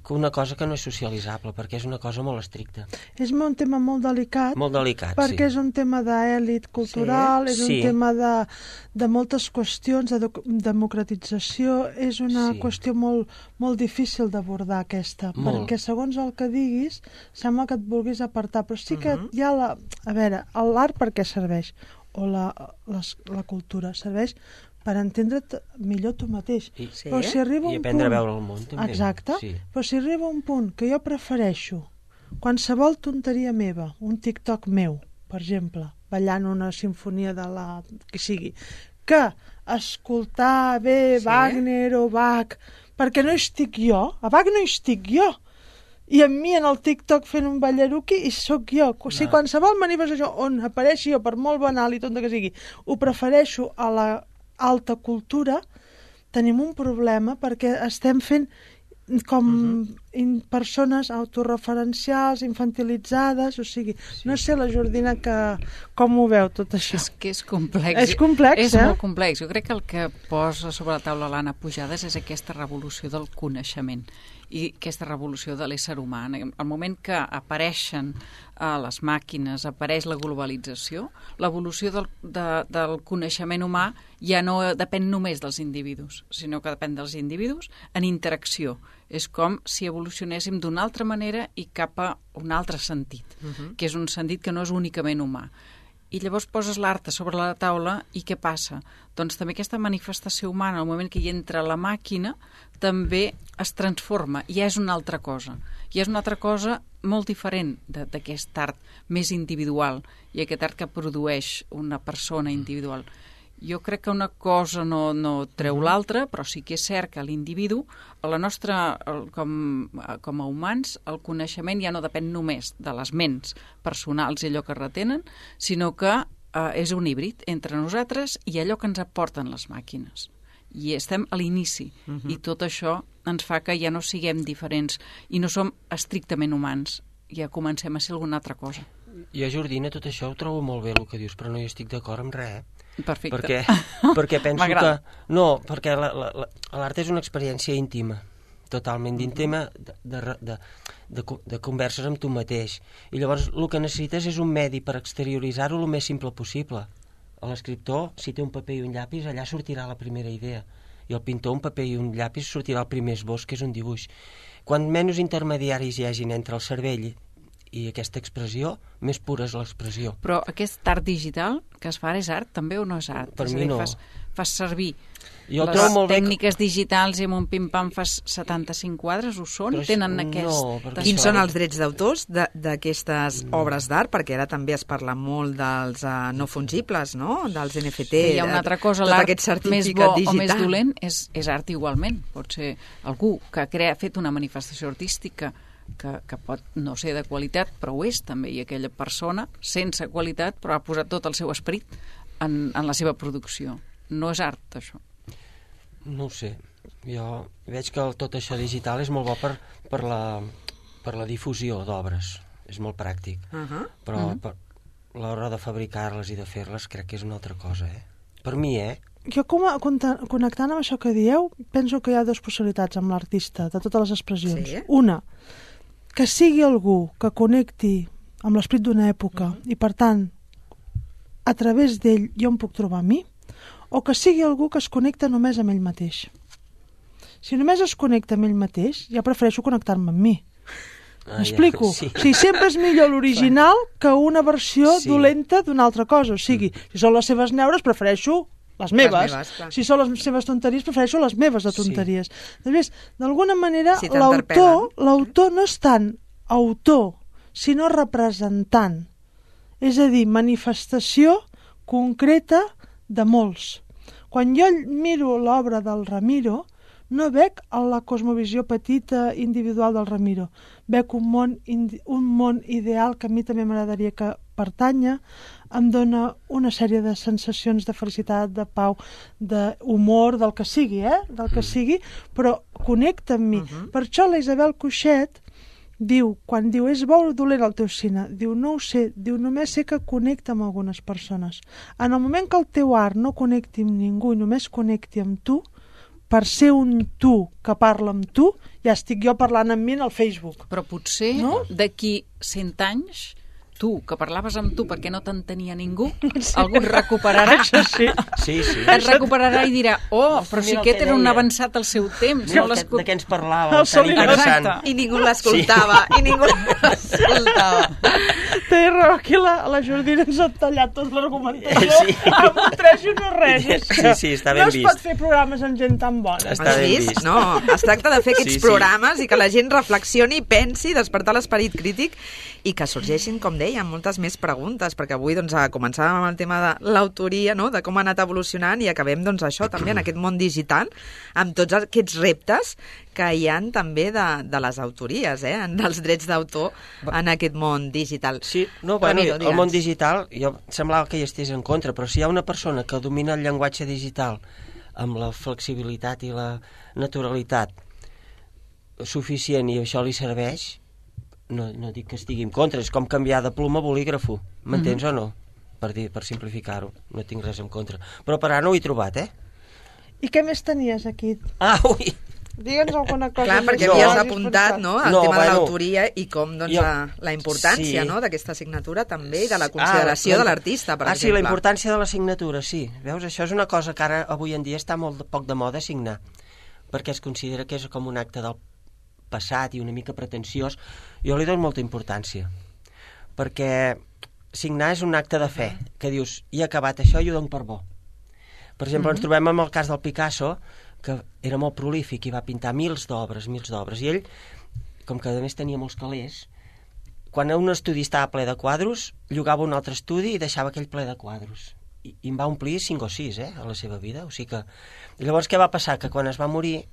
Speaker 6: que una cosa que no és socialitzable, perquè és una cosa molt estricta.
Speaker 5: És un tema molt delicat.
Speaker 6: Molt delicat,
Speaker 5: perquè és un tema d'èlit cultural, és un tema de moltes qüestions, de democratització, és una qüestió molt difícil d'abordar aquesta, perquè segons el que diguis, sembla que et vulguis apartar, però sí que hi ha a veure, l'art per què serveix? O la cultura serveix per entendre't millor tu mateix. Però si arriba un
Speaker 6: aprendre
Speaker 5: punt...
Speaker 6: a veure el món, també.
Speaker 5: Exacte. Però si arriba un punt que jo prefereixo qualsevol tonteria meva, un TikTok meu, per exemple, ballant una sinfonia de la... que sigui, que escoltar bé Wagner o Bach, perquè no hi estic jo, a Bach no hi estic jo, i amb mi en el TikTok fent un ballaruqui i sóc jo. O sigui, qualsevol manifestació on apareixi jo, per molt banal i tonta que sigui, ho prefereixo a la alta cultura, tenim un problema perquè estem fent com persones autorreferencials, infantilitzades, o sigui, no sé la Jordina com ho veu tot això.
Speaker 9: És que és complex.
Speaker 5: És complex,
Speaker 9: És molt complex. Jo crec que el que posa sobre la taula l'Anna Pujades és aquesta revolució del coneixement i aquesta revolució de l'ésser humà. Al moment que apareixen les màquines, apareix la globalització, l'evolució del coneixement humà ja no depèn només dels individus, sinó que depèn dels individus en interacció. És com si evolucionéssim d'una altra manera i cap a un altre sentit, que és un sentit que no és únicament humà. I llavors poses l'art sobre la taula i què passa? Doncs també aquesta manifestació humana, al moment que hi entra la màquina, també es transforma, i ja és una altra cosa. I és una altra cosa molt diferent d'aquest art més individual i aquest art que produeix una persona individual. Jo crec que una cosa no treu l'altra, però sí que és cert que l'individu, la nostra, com a humans, el coneixement ja no depèn només de les ments personals i allò que retenen, sinó que és un híbrid entre nosaltres i allò que ens aporten les màquines. I estem a l'inici, i tot això ens fa que ja no siguem diferents i no som estrictament humans, ja comencem a ser alguna altra cosa.
Speaker 6: Jo, Jordina, tot això ho trobo molt bé el que dius, però no hi estic d'acord amb res,
Speaker 9: Perfecte.
Speaker 6: Perquè penso que... No, perquè l'art és una experiència íntima, totalment íntima de converses amb tu mateix. I llavors el que necessites és un medi per exterioritzar-ho el més simple possible. L'escriptor, si té un paper i un llapis, allà sortirà la primera idea. I el pintor, un paper i un llapis, sortirà el primer esbós, que és un dibuix. Quan menys intermediaris hi hagin entre el cervell i aquesta expressió, més pura és l'expressió.
Speaker 9: Però aquest art digital que es fa ara és art també o no és art?
Speaker 6: Per mi no.
Speaker 9: Fas servir
Speaker 6: Jo
Speaker 9: les tècniques digitals i amb un pim-pam fas 75 quadres, ho són? Tenen aquest...
Speaker 4: Quins són els drets d'autors d'aquestes obres d'art? Perquè ara també es parla molt dels no fungibles, no? Dels NFT.
Speaker 9: Hi ha una altra cosa, l'art més bo o més dolent és art igualment. Pot ser algú que ha fet una manifestació artística que pot no ser de qualitat, però ho és també, i aquella persona, sense qualitat, però ha posat tot el seu esperit en la seva producció. No és art, això.
Speaker 6: No ho sé. Jo veig que tot això digital és molt bo per la difusió d'obres. És molt pràctic. Però per l'hora de fabricar-les i de fer-les crec que és una altra cosa, Per mi,
Speaker 5: Jo, connectant amb això que dieu, penso que hi ha dues possibilitats amb l'artista, de totes les expressions.
Speaker 4: Sí.
Speaker 5: Una, que sigui algú que connecti amb l'esperit d'una època i, per tant, a través d'ell jo em puc trobar a mi, o que sigui algú que es connecta només amb ell mateix. Si només es connecta amb ell mateix, ja prefereixo connectar-me amb mi. M'explico?
Speaker 6: Sí.
Speaker 5: O sigui, sempre és millor l'original que una versió dolenta d'una altra cosa. O sigui, si són les seves neures, prefereixo les meves. Si són les seves tonteries, prefereixo les meves de tonteries. Després, d'alguna manera, l'autor no és tant autor, sinó representant. És a dir, manifestació concreta de molts. Quan jo miro l'obra del Ramiro, no veig la cosmovisió petita individual del Ramiro. Veig un món ideal que a mi també m'agradaria que pertanya, em dona una sèrie de sensacions de felicitat, de pau, d'humor, del que sigui, del que sigui, però connecta amb mi. Per això la Isabel Cuixet quan diu és bo o dolent el teu cine, diu no ho sé, diu només sé que connecta amb algunes persones. En el moment que el teu art no connecti amb ningú i només connecti amb tu, per ser un tu que parla amb tu, ja estic jo parlant amb mi en el Facebook.
Speaker 9: Però potser d'aquí 100 anys, tu, que parlaves amb tu perquè no t'entenia ningú, algú et recuperarà.
Speaker 6: Sí.
Speaker 9: Et recuperarà i dirà, però si aquest era un avançat al seu temps.
Speaker 6: De què ens parlava, tan interessant.
Speaker 4: I ningú l'escoltava.
Speaker 5: Té raó, aquí la Jordina ens ha tallat tot l'argumentació amb un 3 i no res.
Speaker 6: Sí, està ben vist.
Speaker 5: No es pot fer programes amb gent tan bona.
Speaker 6: Està ben vist.
Speaker 4: No, es tracta de fer aquests programes i que la gent reflexioni, pensi, despertar l'esperit crític i que sorgeixin, com deia, moltes més preguntes, perquè avui començàvem amb el tema de l'autoria, de com ha anat evolucionant i acabem això també en aquest món digital, amb tots aquests reptes que hi ha també de les autories, dels drets d'autor en aquest món digital.
Speaker 6: Sí, el món digital, jo semblava que hi estigués en contra, però si hi ha una persona que domina el llenguatge digital amb la flexibilitat i la naturalitat suficient i això li serveix, no dic que estigui en contra, és com canviar de pluma a bolígrafo, m'entens o no? Per simplificar-ho, no tinc res en contra. Però per ara no ho he trobat,
Speaker 5: I què més tenies aquí?
Speaker 6: Ui!
Speaker 5: Digue'ns alguna cosa.
Speaker 4: Clar, perquè havies apuntat el tema de l'autoria i com la importància d'aquesta assignatura també i de la consideració de l'artista, per exemple.
Speaker 6: Sí, la importància de la signatura, sí. Veus, això és una cosa que ara, avui en dia, està molt poc de moda signar, perquè es considera que és com un acte del passat i una mica pretensiós. Jo li dono molta importància, perquè signar és un acte de fe, que dius, he acabat això i ho dono per bo. Per exemple, ens trobem amb el cas del Picasso, que era molt prolífic i va pintar mils d'obres, i ell, com que a més tenia molts calés, quan un estudi estava ple de quadros, llogava un altre estudi i deixava aquell ple de quadros. I en va omplir 5 o 6, a la seva vida. O sigui que... I llavors què va passar? Que quan es va morir,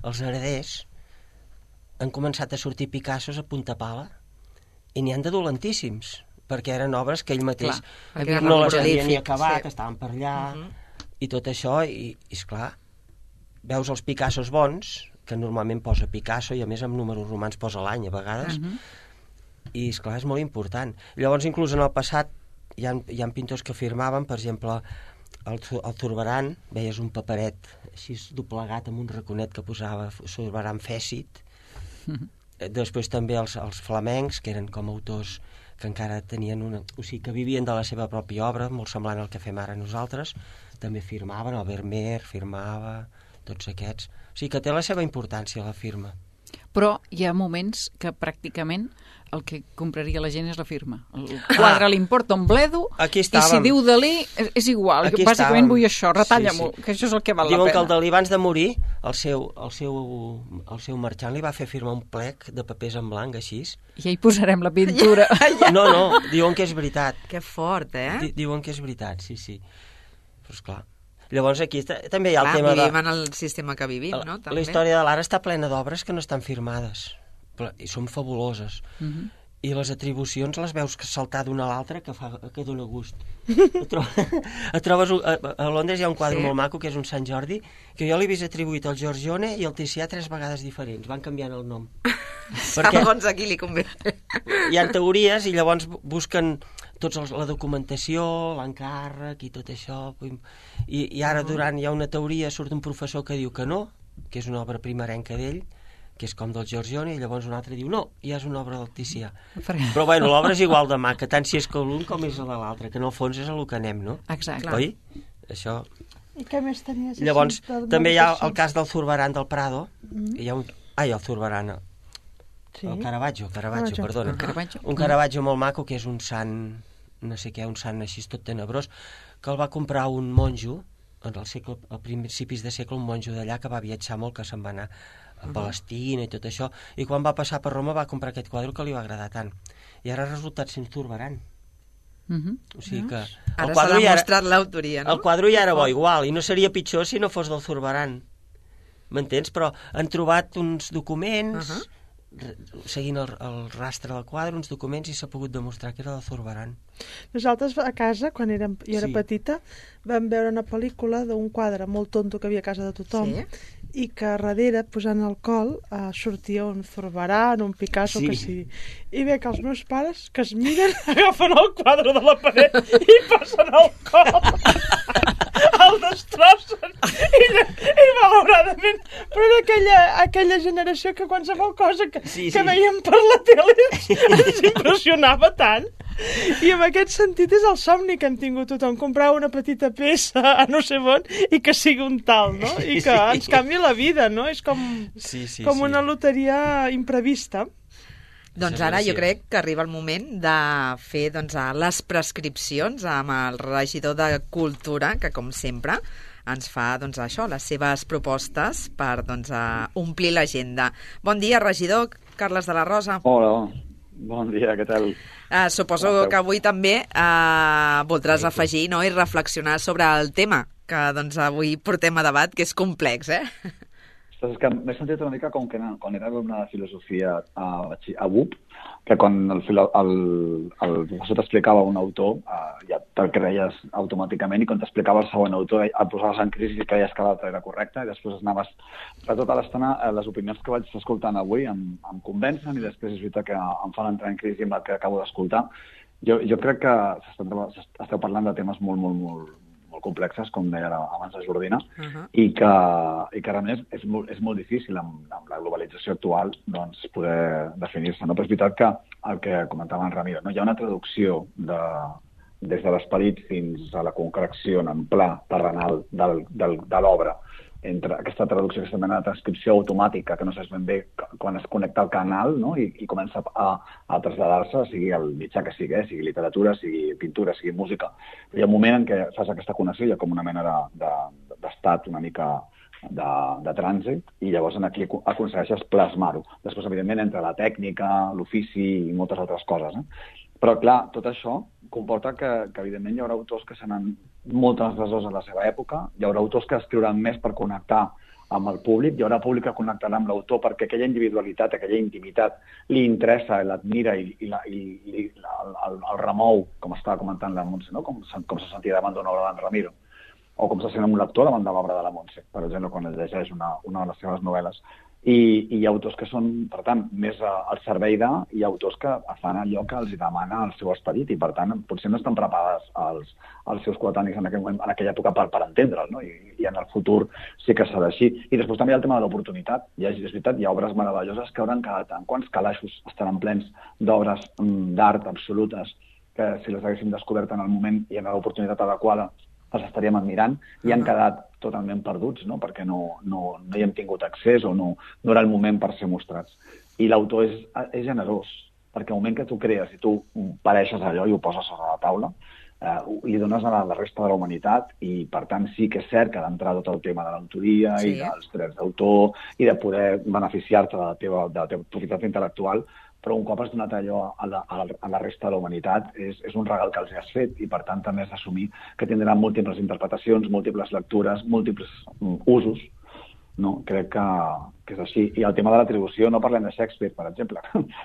Speaker 6: els hereders han començat a sortir Picassos a punta pala i n'hi han de dolentíssims, perquè eren obres que ell mateix no les havia ni acabat, estaven per allà, i tot això, i esclar, veus els Picassos bons, que normalment posa Picasso i a més amb números romans posa l'any a vegades, i esclar, és molt important. Llavors, inclús en el passat, hi ha pintors que firmaven, per exemple, el Zurbarán, veies un paperet així doblegat amb un raconet que posava Zurbarán Fècit. Després també els flamencs, que eren com autors que encara tenien o sigui, que vivien de la seva pròpia obra, molt semblant al que fem ara nosaltres, també firmaven, el Vermeer firmava, tots aquests. O sigui que té la seva importància, la firma.
Speaker 9: però hi ha moments que pràcticament el que compraria la gent és la firma. El quadre li importa un bledo i si diu Dalí és igual. Bàsicament vull això, retalla-m'ho, que això és el que val la pena.
Speaker 6: Diuen que el Dalí abans de morir, el seu marxant li va fer firmar un plec de papers en blanc, així.
Speaker 9: I hi posarem la pintura.
Speaker 6: No, diuen que és veritat.
Speaker 4: Que fort,
Speaker 6: Diuen que és veritat, sí. Però esclar. Llavors aquí també hi ha el tema de...
Speaker 4: Vivim en el sistema que vivim, no?
Speaker 6: La història de l'art està plena d'obres que no estan firmades i són fabuloses. I les atribucions les veus saltar d'una a l'altra que dona gust. Et trobes... A Londres hi ha un quadre molt maco que és un Sant Jordi, que jo l'he vist atribuït al Giorgione i al Ticià 3 vegades diferents. Van canviant el nom.
Speaker 4: Segons a qui li convé.
Speaker 6: Hi ha teories i llavors busquen la documentació, l'encàrrec i tot això. I ara hi ha una teoria, surt un professor que diu que no, que és una obra primerenca d'ell, que és com del Giorgione, i llavors un altre diu no, ja és una obra del Ticià. Però bueno, l'obra és igual de maca, tant si és que l'un com és la de l'altre, que en el fons és el que anem, no?
Speaker 9: Exacte.
Speaker 6: Oi? Això...
Speaker 5: I què més tenies?
Speaker 6: Llavors, també hi ha el cas del Zurbarán del Prado, hi ha el Zurbarán, el Caravaggio, perdona. Un Caravaggio molt maco, que és un sant, no sé què, un sant així tot tenebrós, que el va comprar un monjo, a principis de segle, un monjo d'allà que va viatjar molt, que se'n va anar a Palestina i tot això, i quan va passar per Roma va comprar aquest quadre que li va agradar tant. I ara ha resultat sent Zurbarán. O sigui que...
Speaker 4: Ara s'ha demostrat l'autoria, no?
Speaker 6: El quadre ja era bo igual, i no seria pitjor si no fos del Zurbarán. M'entens? Però han trobat uns documents, seguint el rastre del quadre, uns documents, i s'ha pogut demostrar que era del Zurbarán.
Speaker 5: Nosaltres a casa, quan jo era petita, vam veure una pel·lícula d'un quadre molt tonto que havia a casa de tothom, i que darrere, posant alcohol, sortia un Zurbarán, un Picasso, que sigui. I veig que els meus pares, que es miren, agafen el quadre de la paret i passen el cop, el destrossen, i malauradament, però era aquella generació que qualsevol cosa que veiem per la tele ens impressionava tant. I en aquest sentit és el somni que hem tingut tothom, comprar una petita peça a no sé on i que sigui un tal, no? I que ens canvi la vida, no? És com una loteria imprevista.
Speaker 4: Doncs ara jo crec que arriba el moment de fer les prescripcions amb el regidor de Cultura, que com sempre ens fa això, les seves propostes per omplir l'agenda. Bon dia, regidor Carles de la Rosa.
Speaker 13: Hola, bon dia, què tal?
Speaker 4: Suposo que avui també voldràs afegir i reflexionar sobre el tema que avui portem a debat, que és complex,
Speaker 13: És que m'he sentit una mica com que quan era alumne de filosofia a BUP, que quan el professor t'explicava un autor, ja te'l creies automàticament, i quan t'explicava el següent autor et posaves en crisi i creies que l'altre era correcte, i després anaves per tota l'estona. Les opinions que vaig escoltant avui em convencen, i després és veritat que em fan entrar en crisi amb el que acabo d'escoltar. Jo crec que esteu parlant de temes molt, molt, molt complexes, com deia abans la Jordina, i que realment és molt difícil amb la globalització actual poder definir-se. Però és veritat que el que comentava en Ramiro, hi ha una traducció des de l'esperit fins a la concreció en pla terrenal de l'obra, entre aquesta traducció, aquesta mena de transcripció automàtica, que no saps ben bé quan es connecta al canal, no? I comença a traslladar-se, sigui el mitjà que sigui literatura, sigui pintura, sigui música. Hi ha un moment en què fas aquesta connexió, hi ha com una mena d'estat una mica de trànsit, i llavors aquí aconsegueixes plasmar-ho. Després, evidentment, entre la tècnica, l'ofici i moltes altres coses. Però, clar, tot això comporta que evidentment, hi haurà autors que seran molt transgressors en la seva època, hi haurà autors que escriuran més per connectar amb el públic, hi haurà públic que connectarà amb l'autor perquè aquella individualitat, aquella intimitat li interessa, l'admira i el remou, com estava comentant la Montse, no? Com se sentia davant d'una obra d'en Ramiro, o com se sent un lector davant de l'obra de la Montse, per exemple, quan llegeix una de les seves novel·les. I hi ha autors que són, per tant, més al servei i autors que fan allò que els demana el seu esperit, i per tant potser no estan preparats els seus coetanis en aquella època per entendre'l, no? I en el futur sí que serà així. I després també hi ha el tema de l'oportunitat. És veritat, hi ha obres meravelloses que hauran quedat en quants calaixos estaran plens d'obres d'art absolutes que si les haguéssim descobert en el moment i en l'oportunitat adequada els estaríem admirant i han quedat totalment perduts, no? Perquè no hi hem tingut accés o no era el moment per ser mostrats. I l'autor és generós, perquè al moment que tu crees i tu pareixes allò i ho poses sobre la taula, li dones a la resta de la humanitat i, per tant, sí que és cert que ha d'entrar tot el tema de l'autoria i dels drets d'autor i de poder beneficiar-te de la teva propietat intel·lectual, però un cop has donat allò a la resta de la humanitat és un regal que els has fet i, per tant, també has d'assumir que tindran múltiples interpretacions, múltiples lectures, múltiples usos. No? Crec que és així. I el tema de l'atribució, no parlem de Shakespeare, per exemple.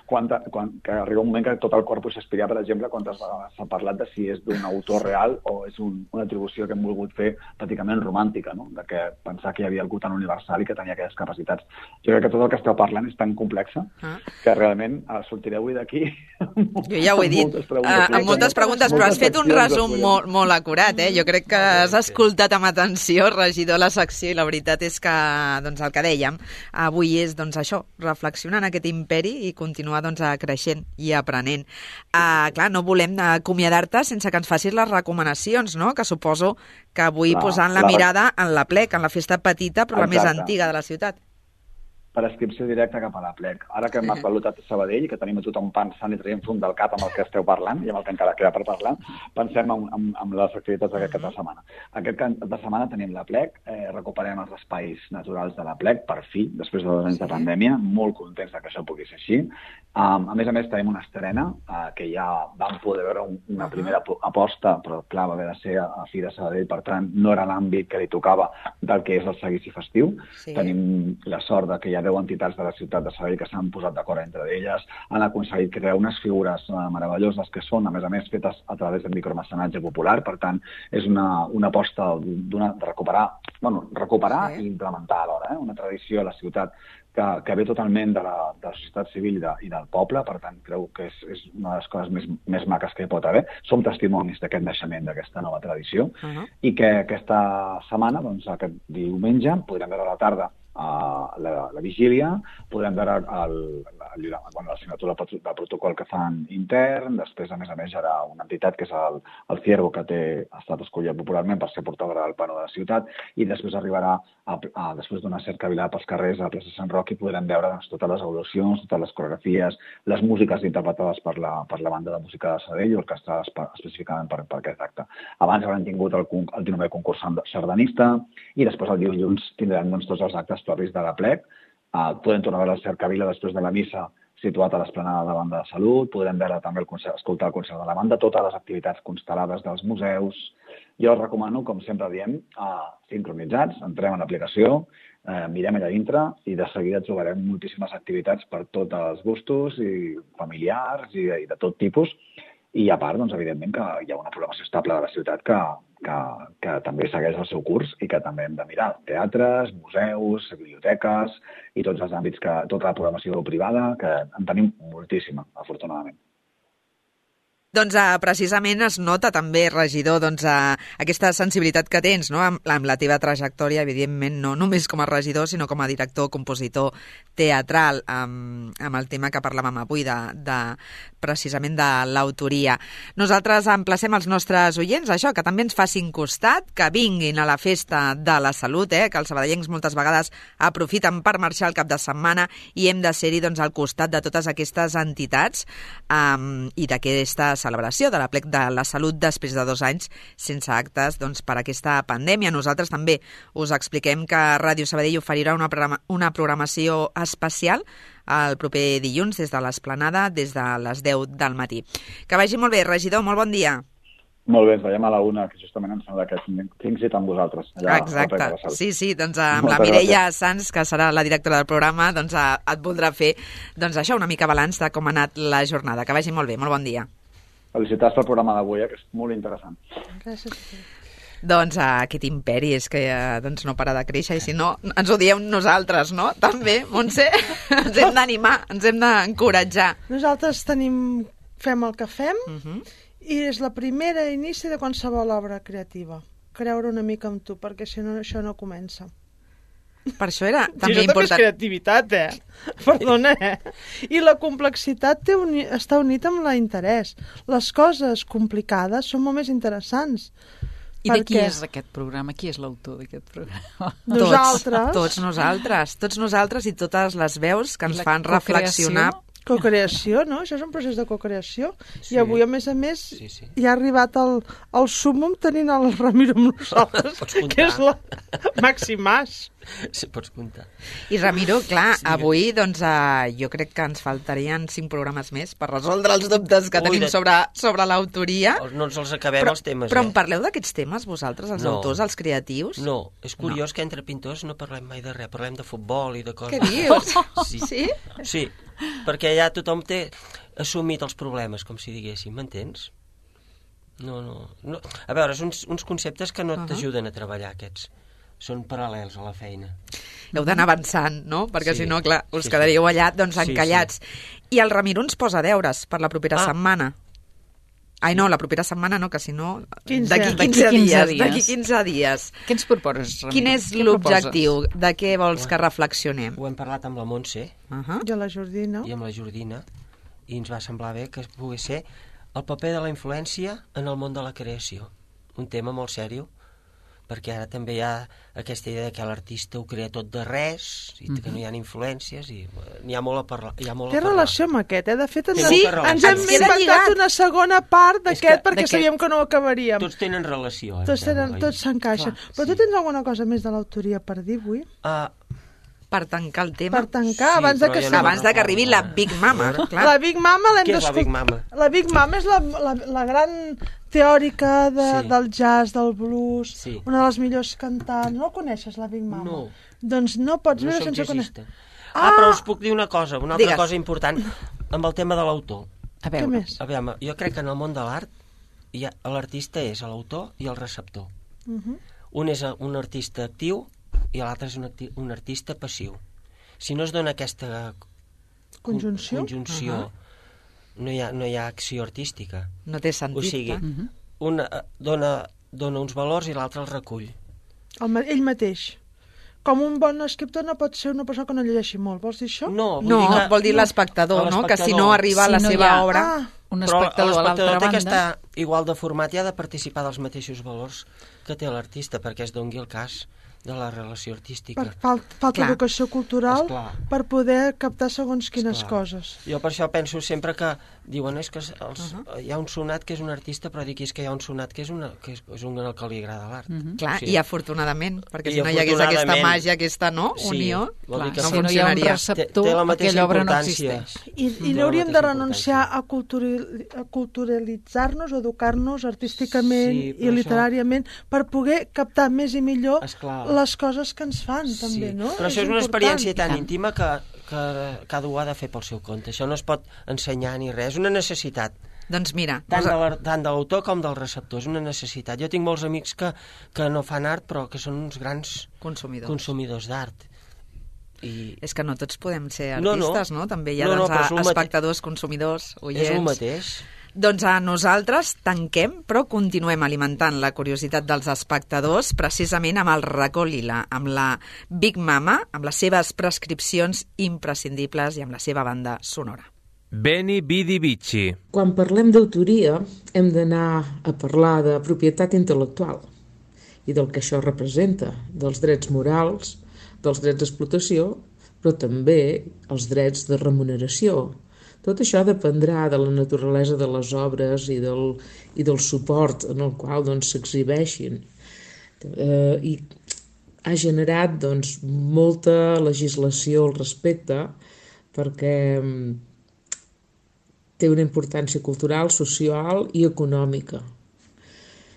Speaker 13: Que arriba un moment que tot el corpus Shakespeare, per exemple, quantes vegades s'ha parlat de si és d'un autor real o és una atribució que hem volgut fer pràcticament romàntica, no? De que pensar que hi havia algú tan universal i que tenia aquelles capacitats. Jo crec que tot el que esteu parlant és tan complexa que realment sortireu avui d'aquí.
Speaker 4: Jo ja ho he dit, amb moltes preguntes, però has fet un resum molt acurat. Jo crec que has escoltat amb atenció, regidor, la secció, i la veritat és que el que dèiem avui és això, reflexionar en aquest imperi i continuar creixent i aprenent. Clar, no volem acomiadar-te sense que ens facis les recomanacions, no? Que suposo que avui posant la mirada en la Plec, en la festa petita però la més antiga de la ciutat.
Speaker 13: Per inscripció directa cap a la Plec. Ara que hem esvalutat Sabadell i que tenim a tothom pensant i traient fum del cap amb el que esteu parlant i amb el que encara queda per parlar, pensem en les activitats d'aquest cap de setmana. Aquest cap de setmana tenim la Plec, recuperem els espais naturals de la Plec, per fi, després de 2 anys de pandèmia, molt contents que això pugui ser així. A més, tenim una estrena que ja vam poder veure una primera aposta, però clar, va haver de ser a Fira Sabadell, per tant, no era l'àmbit que li tocava del que és el seguici festiu. Tenim la sort que hi ha 10 entitats de la ciutat de Sabadell que s'han posat d'acord entre elles, han aconseguit crear unes figures meravelloses que són, a més, fetes a través del micromecenatge popular. Per tant, és una aposta de recuperar i implementar alhora una tradició a la ciutat que ve totalment de la societat civil i del poble. Per tant, crec que és una de les coses més maques que hi pot haver. Som testimonis d'aquest naixement, d'aquesta nova tradició, i que aquesta setmana, aquest diumenge, podrem veure a la tarda la vigília, podrem veure la signatura del protocol que fan intern. Després, a més, hi haurà una entitat que és el Ciervo, que ha estat escollit popularment per ser portadora del plano de la ciutat, i després arribarà, després d'una cercavila pels carrers a la plaça Sant Roc, i podrem veure totes les evolucions, totes les coreografies, les músiques interpretades per la banda de música de Sabadell, orquestrades específicament per aquest acte. Abans haurem tingut el 19è concurs sardanista, i després el dilluns tindrem tots els actes propis de la Plec. Podem tornar a veure la cercavila després de la missa situat a l'esplanada de Banda de Salut, podrem veure també escoltar el concert de la banda, totes les activitats constel·lades dels museus. Jo us recomano, com sempre diem, sincronitzats, entrem en l'aplicació, mirem allà dintre i de seguida trobarem moltíssimes activitats per tots els gustos i familiars i de tot tipus. I a part, evidentment, que hi ha una programació estable de la ciutat que també segueix el seu curs i que també hem de mirar. Teatres, museus, biblioteques i tots els àmbits, tota la programació privada, que en tenim moltíssima, afortunadament.
Speaker 4: Doncs precisament es nota també, regidor, aquesta sensibilitat que tens, no? amb la teva trajectòria, evidentment, no només com a regidor, sinó com a director, compositor teatral, amb el tema que parlàvem avui, precisament de l'autoria. Nosaltres emplacem els nostres oients, que també ens facin costat, que vinguin a la festa de la salut, que els sabadellencs moltes vegades aprofiten per marxar el cap de setmana i hem de ser-hi al costat de totes aquestes entitats i d'aquesta celebració de la Plec de la Salut després de 2 anys sense actes per aquesta pandèmia. Nosaltres també us expliquem que Ràdio Sabadell oferirà una programació especial el proper dilluns des de l'Esplanada, des de les 10 del matí. Que vagi molt bé, regidor, molt bon dia.
Speaker 13: Molt bé, ens veiem a la 1, que justament em sembla que tinc cita amb vosaltres.
Speaker 4: Exacte, sí, amb la Mireia Sanz, que serà la directora del programa, et voldrà fer una mica balanç de com ha anat la jornada. Que vagi molt bé, molt bon dia.
Speaker 13: Felicitats pel programa d'avui, que és molt interessant.
Speaker 5: Gràcies.
Speaker 4: Aquest imperi és que no para de créixer, i si no, ens ho diem nosaltres, no? També, Montse, ens hem d'animar, ens hem d'encoratjar.
Speaker 5: Nosaltres fem el que fem i és la primera inici de qualsevol obra creativa. Creure una mica en tu, perquè si no, això no comença.
Speaker 4: Per això era també
Speaker 5: important. Això també és creativitat, Perdona, I la complexitat està unida amb l'interès. Les coses complicades són molt més interessants.
Speaker 9: I de qui és aquest programa? Qui és l'autor d'aquest programa?
Speaker 4: Tots nosaltres i totes les veus que ens fan reflexionar.
Speaker 5: Cocreació, no? Això és un procés de cocreació. I avui, a més, ja ha arribat el súmmum tenint el Ramiro amb nosaltres, que és la Maximàs.
Speaker 6: Sí, pots comptar.
Speaker 4: I Ramiro, clar, avui doncs, jo crec que ens faltarien 5 programes més per resoldre els dubtes que tenim sobre l'autoria.
Speaker 6: No ens els acabem, els temes.
Speaker 4: Però en parleu d'aquests temes, vosaltres, els autors, els creatius?
Speaker 6: No, és curiós que entre pintors no parlem mai de res, parlem de futbol i de coses.
Speaker 4: Què dius?
Speaker 6: Sí? Sí, perquè ja tothom té assumit els problemes, com si diguéssim, m'entens? No. A veure, són uns conceptes que no t'ajuden a treballar, aquests. Són paral·lels a la feina.
Speaker 4: Heu d'anar avançant, no? Perquè si no, clar, us quedaríeu allà doncs encallats. I el Ramiro ens posa deures per la propera setmana. Ai, no, la propera setmana no, que si no... D'aquí 15 dies.
Speaker 9: Què ens proposes, Ramiro?
Speaker 4: Quin és l'objectiu? De què vols que reflexionem?
Speaker 6: Ho hem parlat amb la Montse.
Speaker 5: I amb la Jordina.
Speaker 6: I amb la Jordina. I ens va semblar bé que pogués ser el paper de la influència en el món de la creació. Un tema molt sèrio, perquè ara també hi ha aquesta idea que l'artista ho crea tot de res i que no hi ha influències i n'hi ha molt a parlar.
Speaker 5: Té relació amb aquest, De fet, ens hem inventat una segona part d'aquest perquè sabíem que no ho acabaríem.
Speaker 6: Tots tenen relació.
Speaker 5: Tots s'encaixen. Però tu tens alguna cosa més de l'autoria per dir avui?
Speaker 4: Per tancar el tema.
Speaker 5: Per tancar, abans
Speaker 4: que arribi la Big Mama.
Speaker 5: La Big Mama l'hem
Speaker 6: d'escoltar. Què és la Big Mama?
Speaker 5: La Big Mama és la gran teòrica del jazz, del blues, una de les millors cantants. No coneixes la Big Mama?
Speaker 6: No.
Speaker 5: Doncs no pots viure sense conèixer.
Speaker 6: Però us puc dir una cosa, una altra cosa important, amb el tema de l'autor.
Speaker 5: Què més?
Speaker 6: Jo crec que en el món de l'art l'artista és l'autor i el receptor. Un és un artista actiu i l'altre és un artista passiu. Si no es dona aquesta conjunció no hi ha acció artística.
Speaker 4: No té sentit.
Speaker 6: O sigui, un dona uns valors i l'altre els recull.
Speaker 5: Ell mateix. Com un bon escriptor no pot ser una persona que no llegeixi molt. Vols dir això?
Speaker 6: No,
Speaker 4: vol dir l'espectador, no? Que si no arriba a la seva obra...
Speaker 9: Un espectador a l'altra banda...
Speaker 6: té que estar igual de format i ha de participar dels mateixos valors que té l'artista, perquè es doni el cas de la relació artística.
Speaker 5: Falta educació cultural per poder captar segons quines coses.
Speaker 6: Jo per això penso sempre que diuen és que hi ha un sonat que és un artista, però dic és que hi ha un sonat que és un que li agrada l'art.
Speaker 4: Clar, i afortunadament, perquè si no hi hagués aquesta màgia, aquesta unió, no funcionaria.
Speaker 6: Té la mateixa importància.
Speaker 5: I no hauríem de renunciar a culturalitzar-nos o educar-nos artísticament i literàriament per poder captar més i millor les coses que ens fan, també, no?
Speaker 6: Però això és una experiència tan íntima que cada un ha de fer pel seu compte. Això no es pot ensenyar ni res, és una necessitat.
Speaker 4: Doncs mira...
Speaker 6: Tant de l'autor com del receptor, és una necessitat. Jo tinc molts amics que no fan art, però que són uns grans consumidors d'art.
Speaker 4: És que no tots podem ser artistes, no? També hi ha espectadors, consumidors, oients...
Speaker 6: És el mateix.
Speaker 4: Doncs nosaltres tanquem, però continuem alimentant la curiositat dels espectadors precisament amb el racó lila, amb la Big Mama, amb les seves prescripcions imprescindibles i amb la seva banda sonora.
Speaker 3: Beni Vidi Vici.
Speaker 14: Quan parlem d'autoria hem d'anar a parlar de propietat intel·lectual i del que això representa, dels drets morals, dels drets d'explotació, però també els drets de remuneració. Tot això dependrà de la naturalesa de les obres i del suport en el qual s'exhibeixin. I ha generat molta legislació al respecte perquè té una importància cultural, social i econòmica.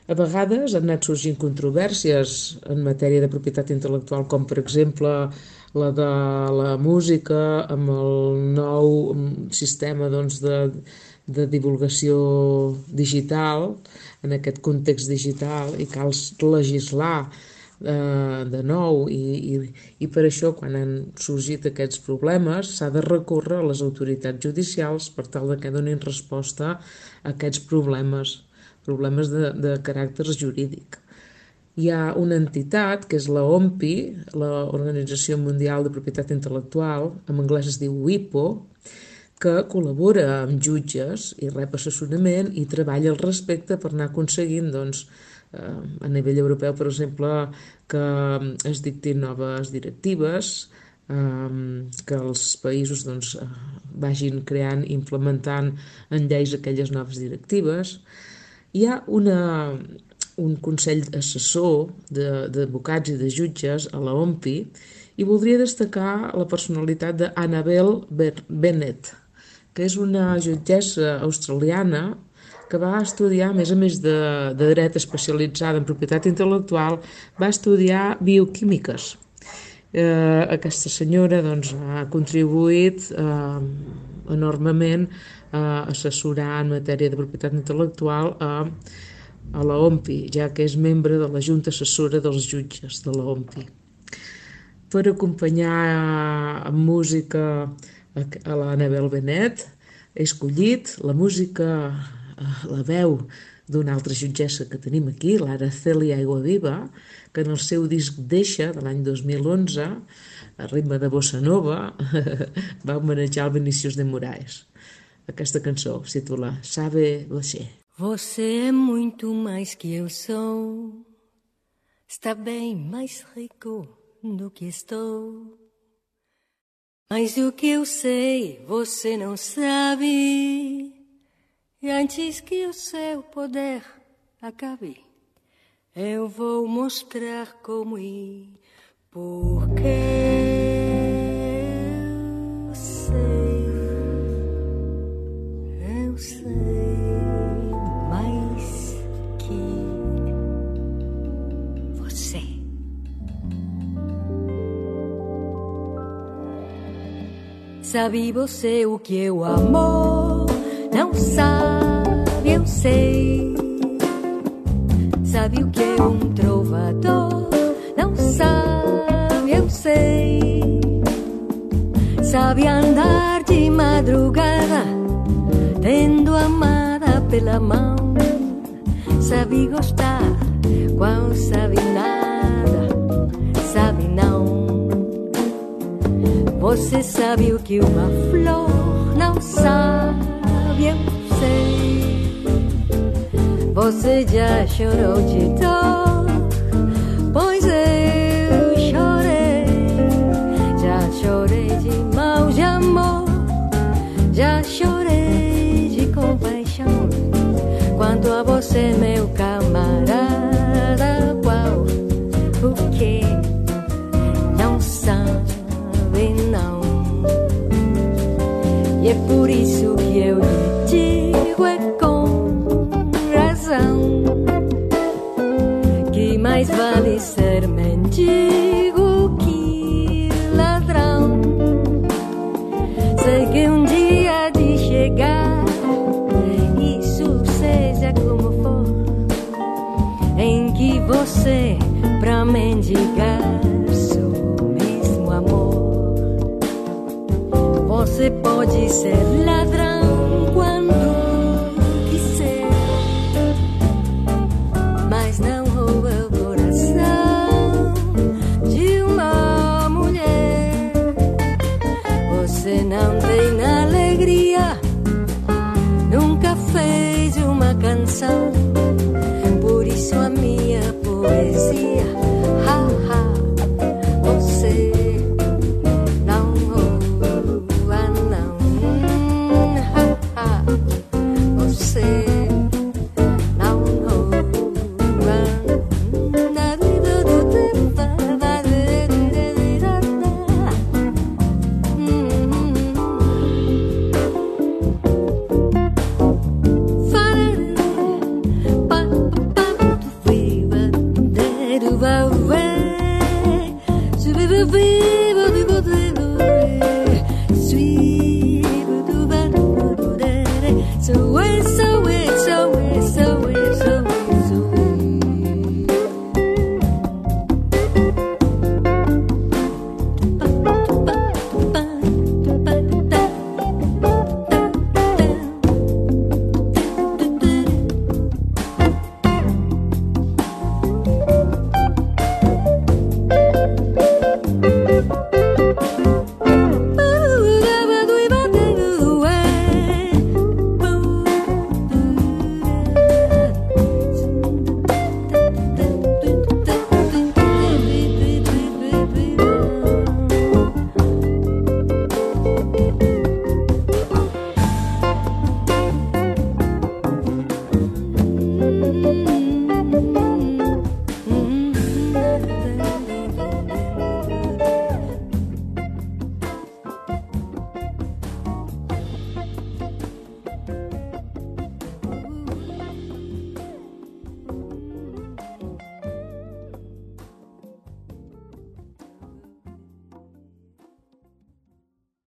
Speaker 14: A vegades han anat sorgint controvèrsies en matèria de propietat intel·lectual, com per exemple la de la música amb el nou sistema de divulgació digital, en aquest context digital, i cal legislar de nou i per això quan han sorgit aquests problemes s'ha de recórrer a les autoritats judicials per tal que donin resposta a aquests problemes de caràcter jurídic. Hi ha una entitat que és la OMPI, l'Organització Mundial de Propietat Intel·lectual, en anglès es diu WIPO, que col·labora amb jutges i rep assessorament i treballa al respecte per anar aconseguint, doncs, a nivell europeu, per exemple, que es dictin noves directives, que els països doncs, vagin creant i implementant en lleis aquelles noves directives. Hi ha un consell assessor d'advocats i de jutges a la OMPI i voldria destacar la personalitat d'Annabel Bennett, que és una jutgessa australiana que va estudiar, a més de dret especialitzada en propietat intel·lectual, va estudiar bioquímiques. Aquesta senyora doncs, ha contribuït enormement a assessorar en matèria de propietat intel·lectual a la OMPI, ja que és membre de la Junta Assessora dels Jutges de la OMPI. Per acompanyar amb música a l'Annabel Bennett he escollit la música, la veu d'una altra jutgessa que tenim aquí, l'ara Cèlia Aiguaviva, que en el seu disc Deixa, de l'any 2011, a ritme de bossa nova, va homenajar el Vinícius de Moraes. Aquesta cançó es titula Sabe Você.
Speaker 2: Você é muito mais que eu sou, está bem mais rico do que estou. Mas o que eu sei, você não sabe. E antes que o seu poder acabe, eu vou mostrar como ir, porque eu sei mais que você. Sabe você o que é o amor? Não sabe, eu sei. Sabe o que é um trovador? Não sabe, eu sei. Sabe andar de madrugada, tendo amada pela mão. Sabe gostar, qual sabe nada, sabe não. Você sabe o que uma flor não sabe, eu sei. Você já chorou de dor, pois eu chorei. Já chorei de mal de amor, já chorei de compaixão. Quanto a você, meu camarada, qual o que não sabe não. E é por isso que eu lhe digo, é com razão, que mais vale ser mendigo que ladrão. Sei que um dia de chegar, isso seja como for, em que você pra mendigar você pode ser ladrão quando quiser, mas não rouba o coração de uma mulher. Você não tem alegria, nunca fez uma canção, por isso a minha poesia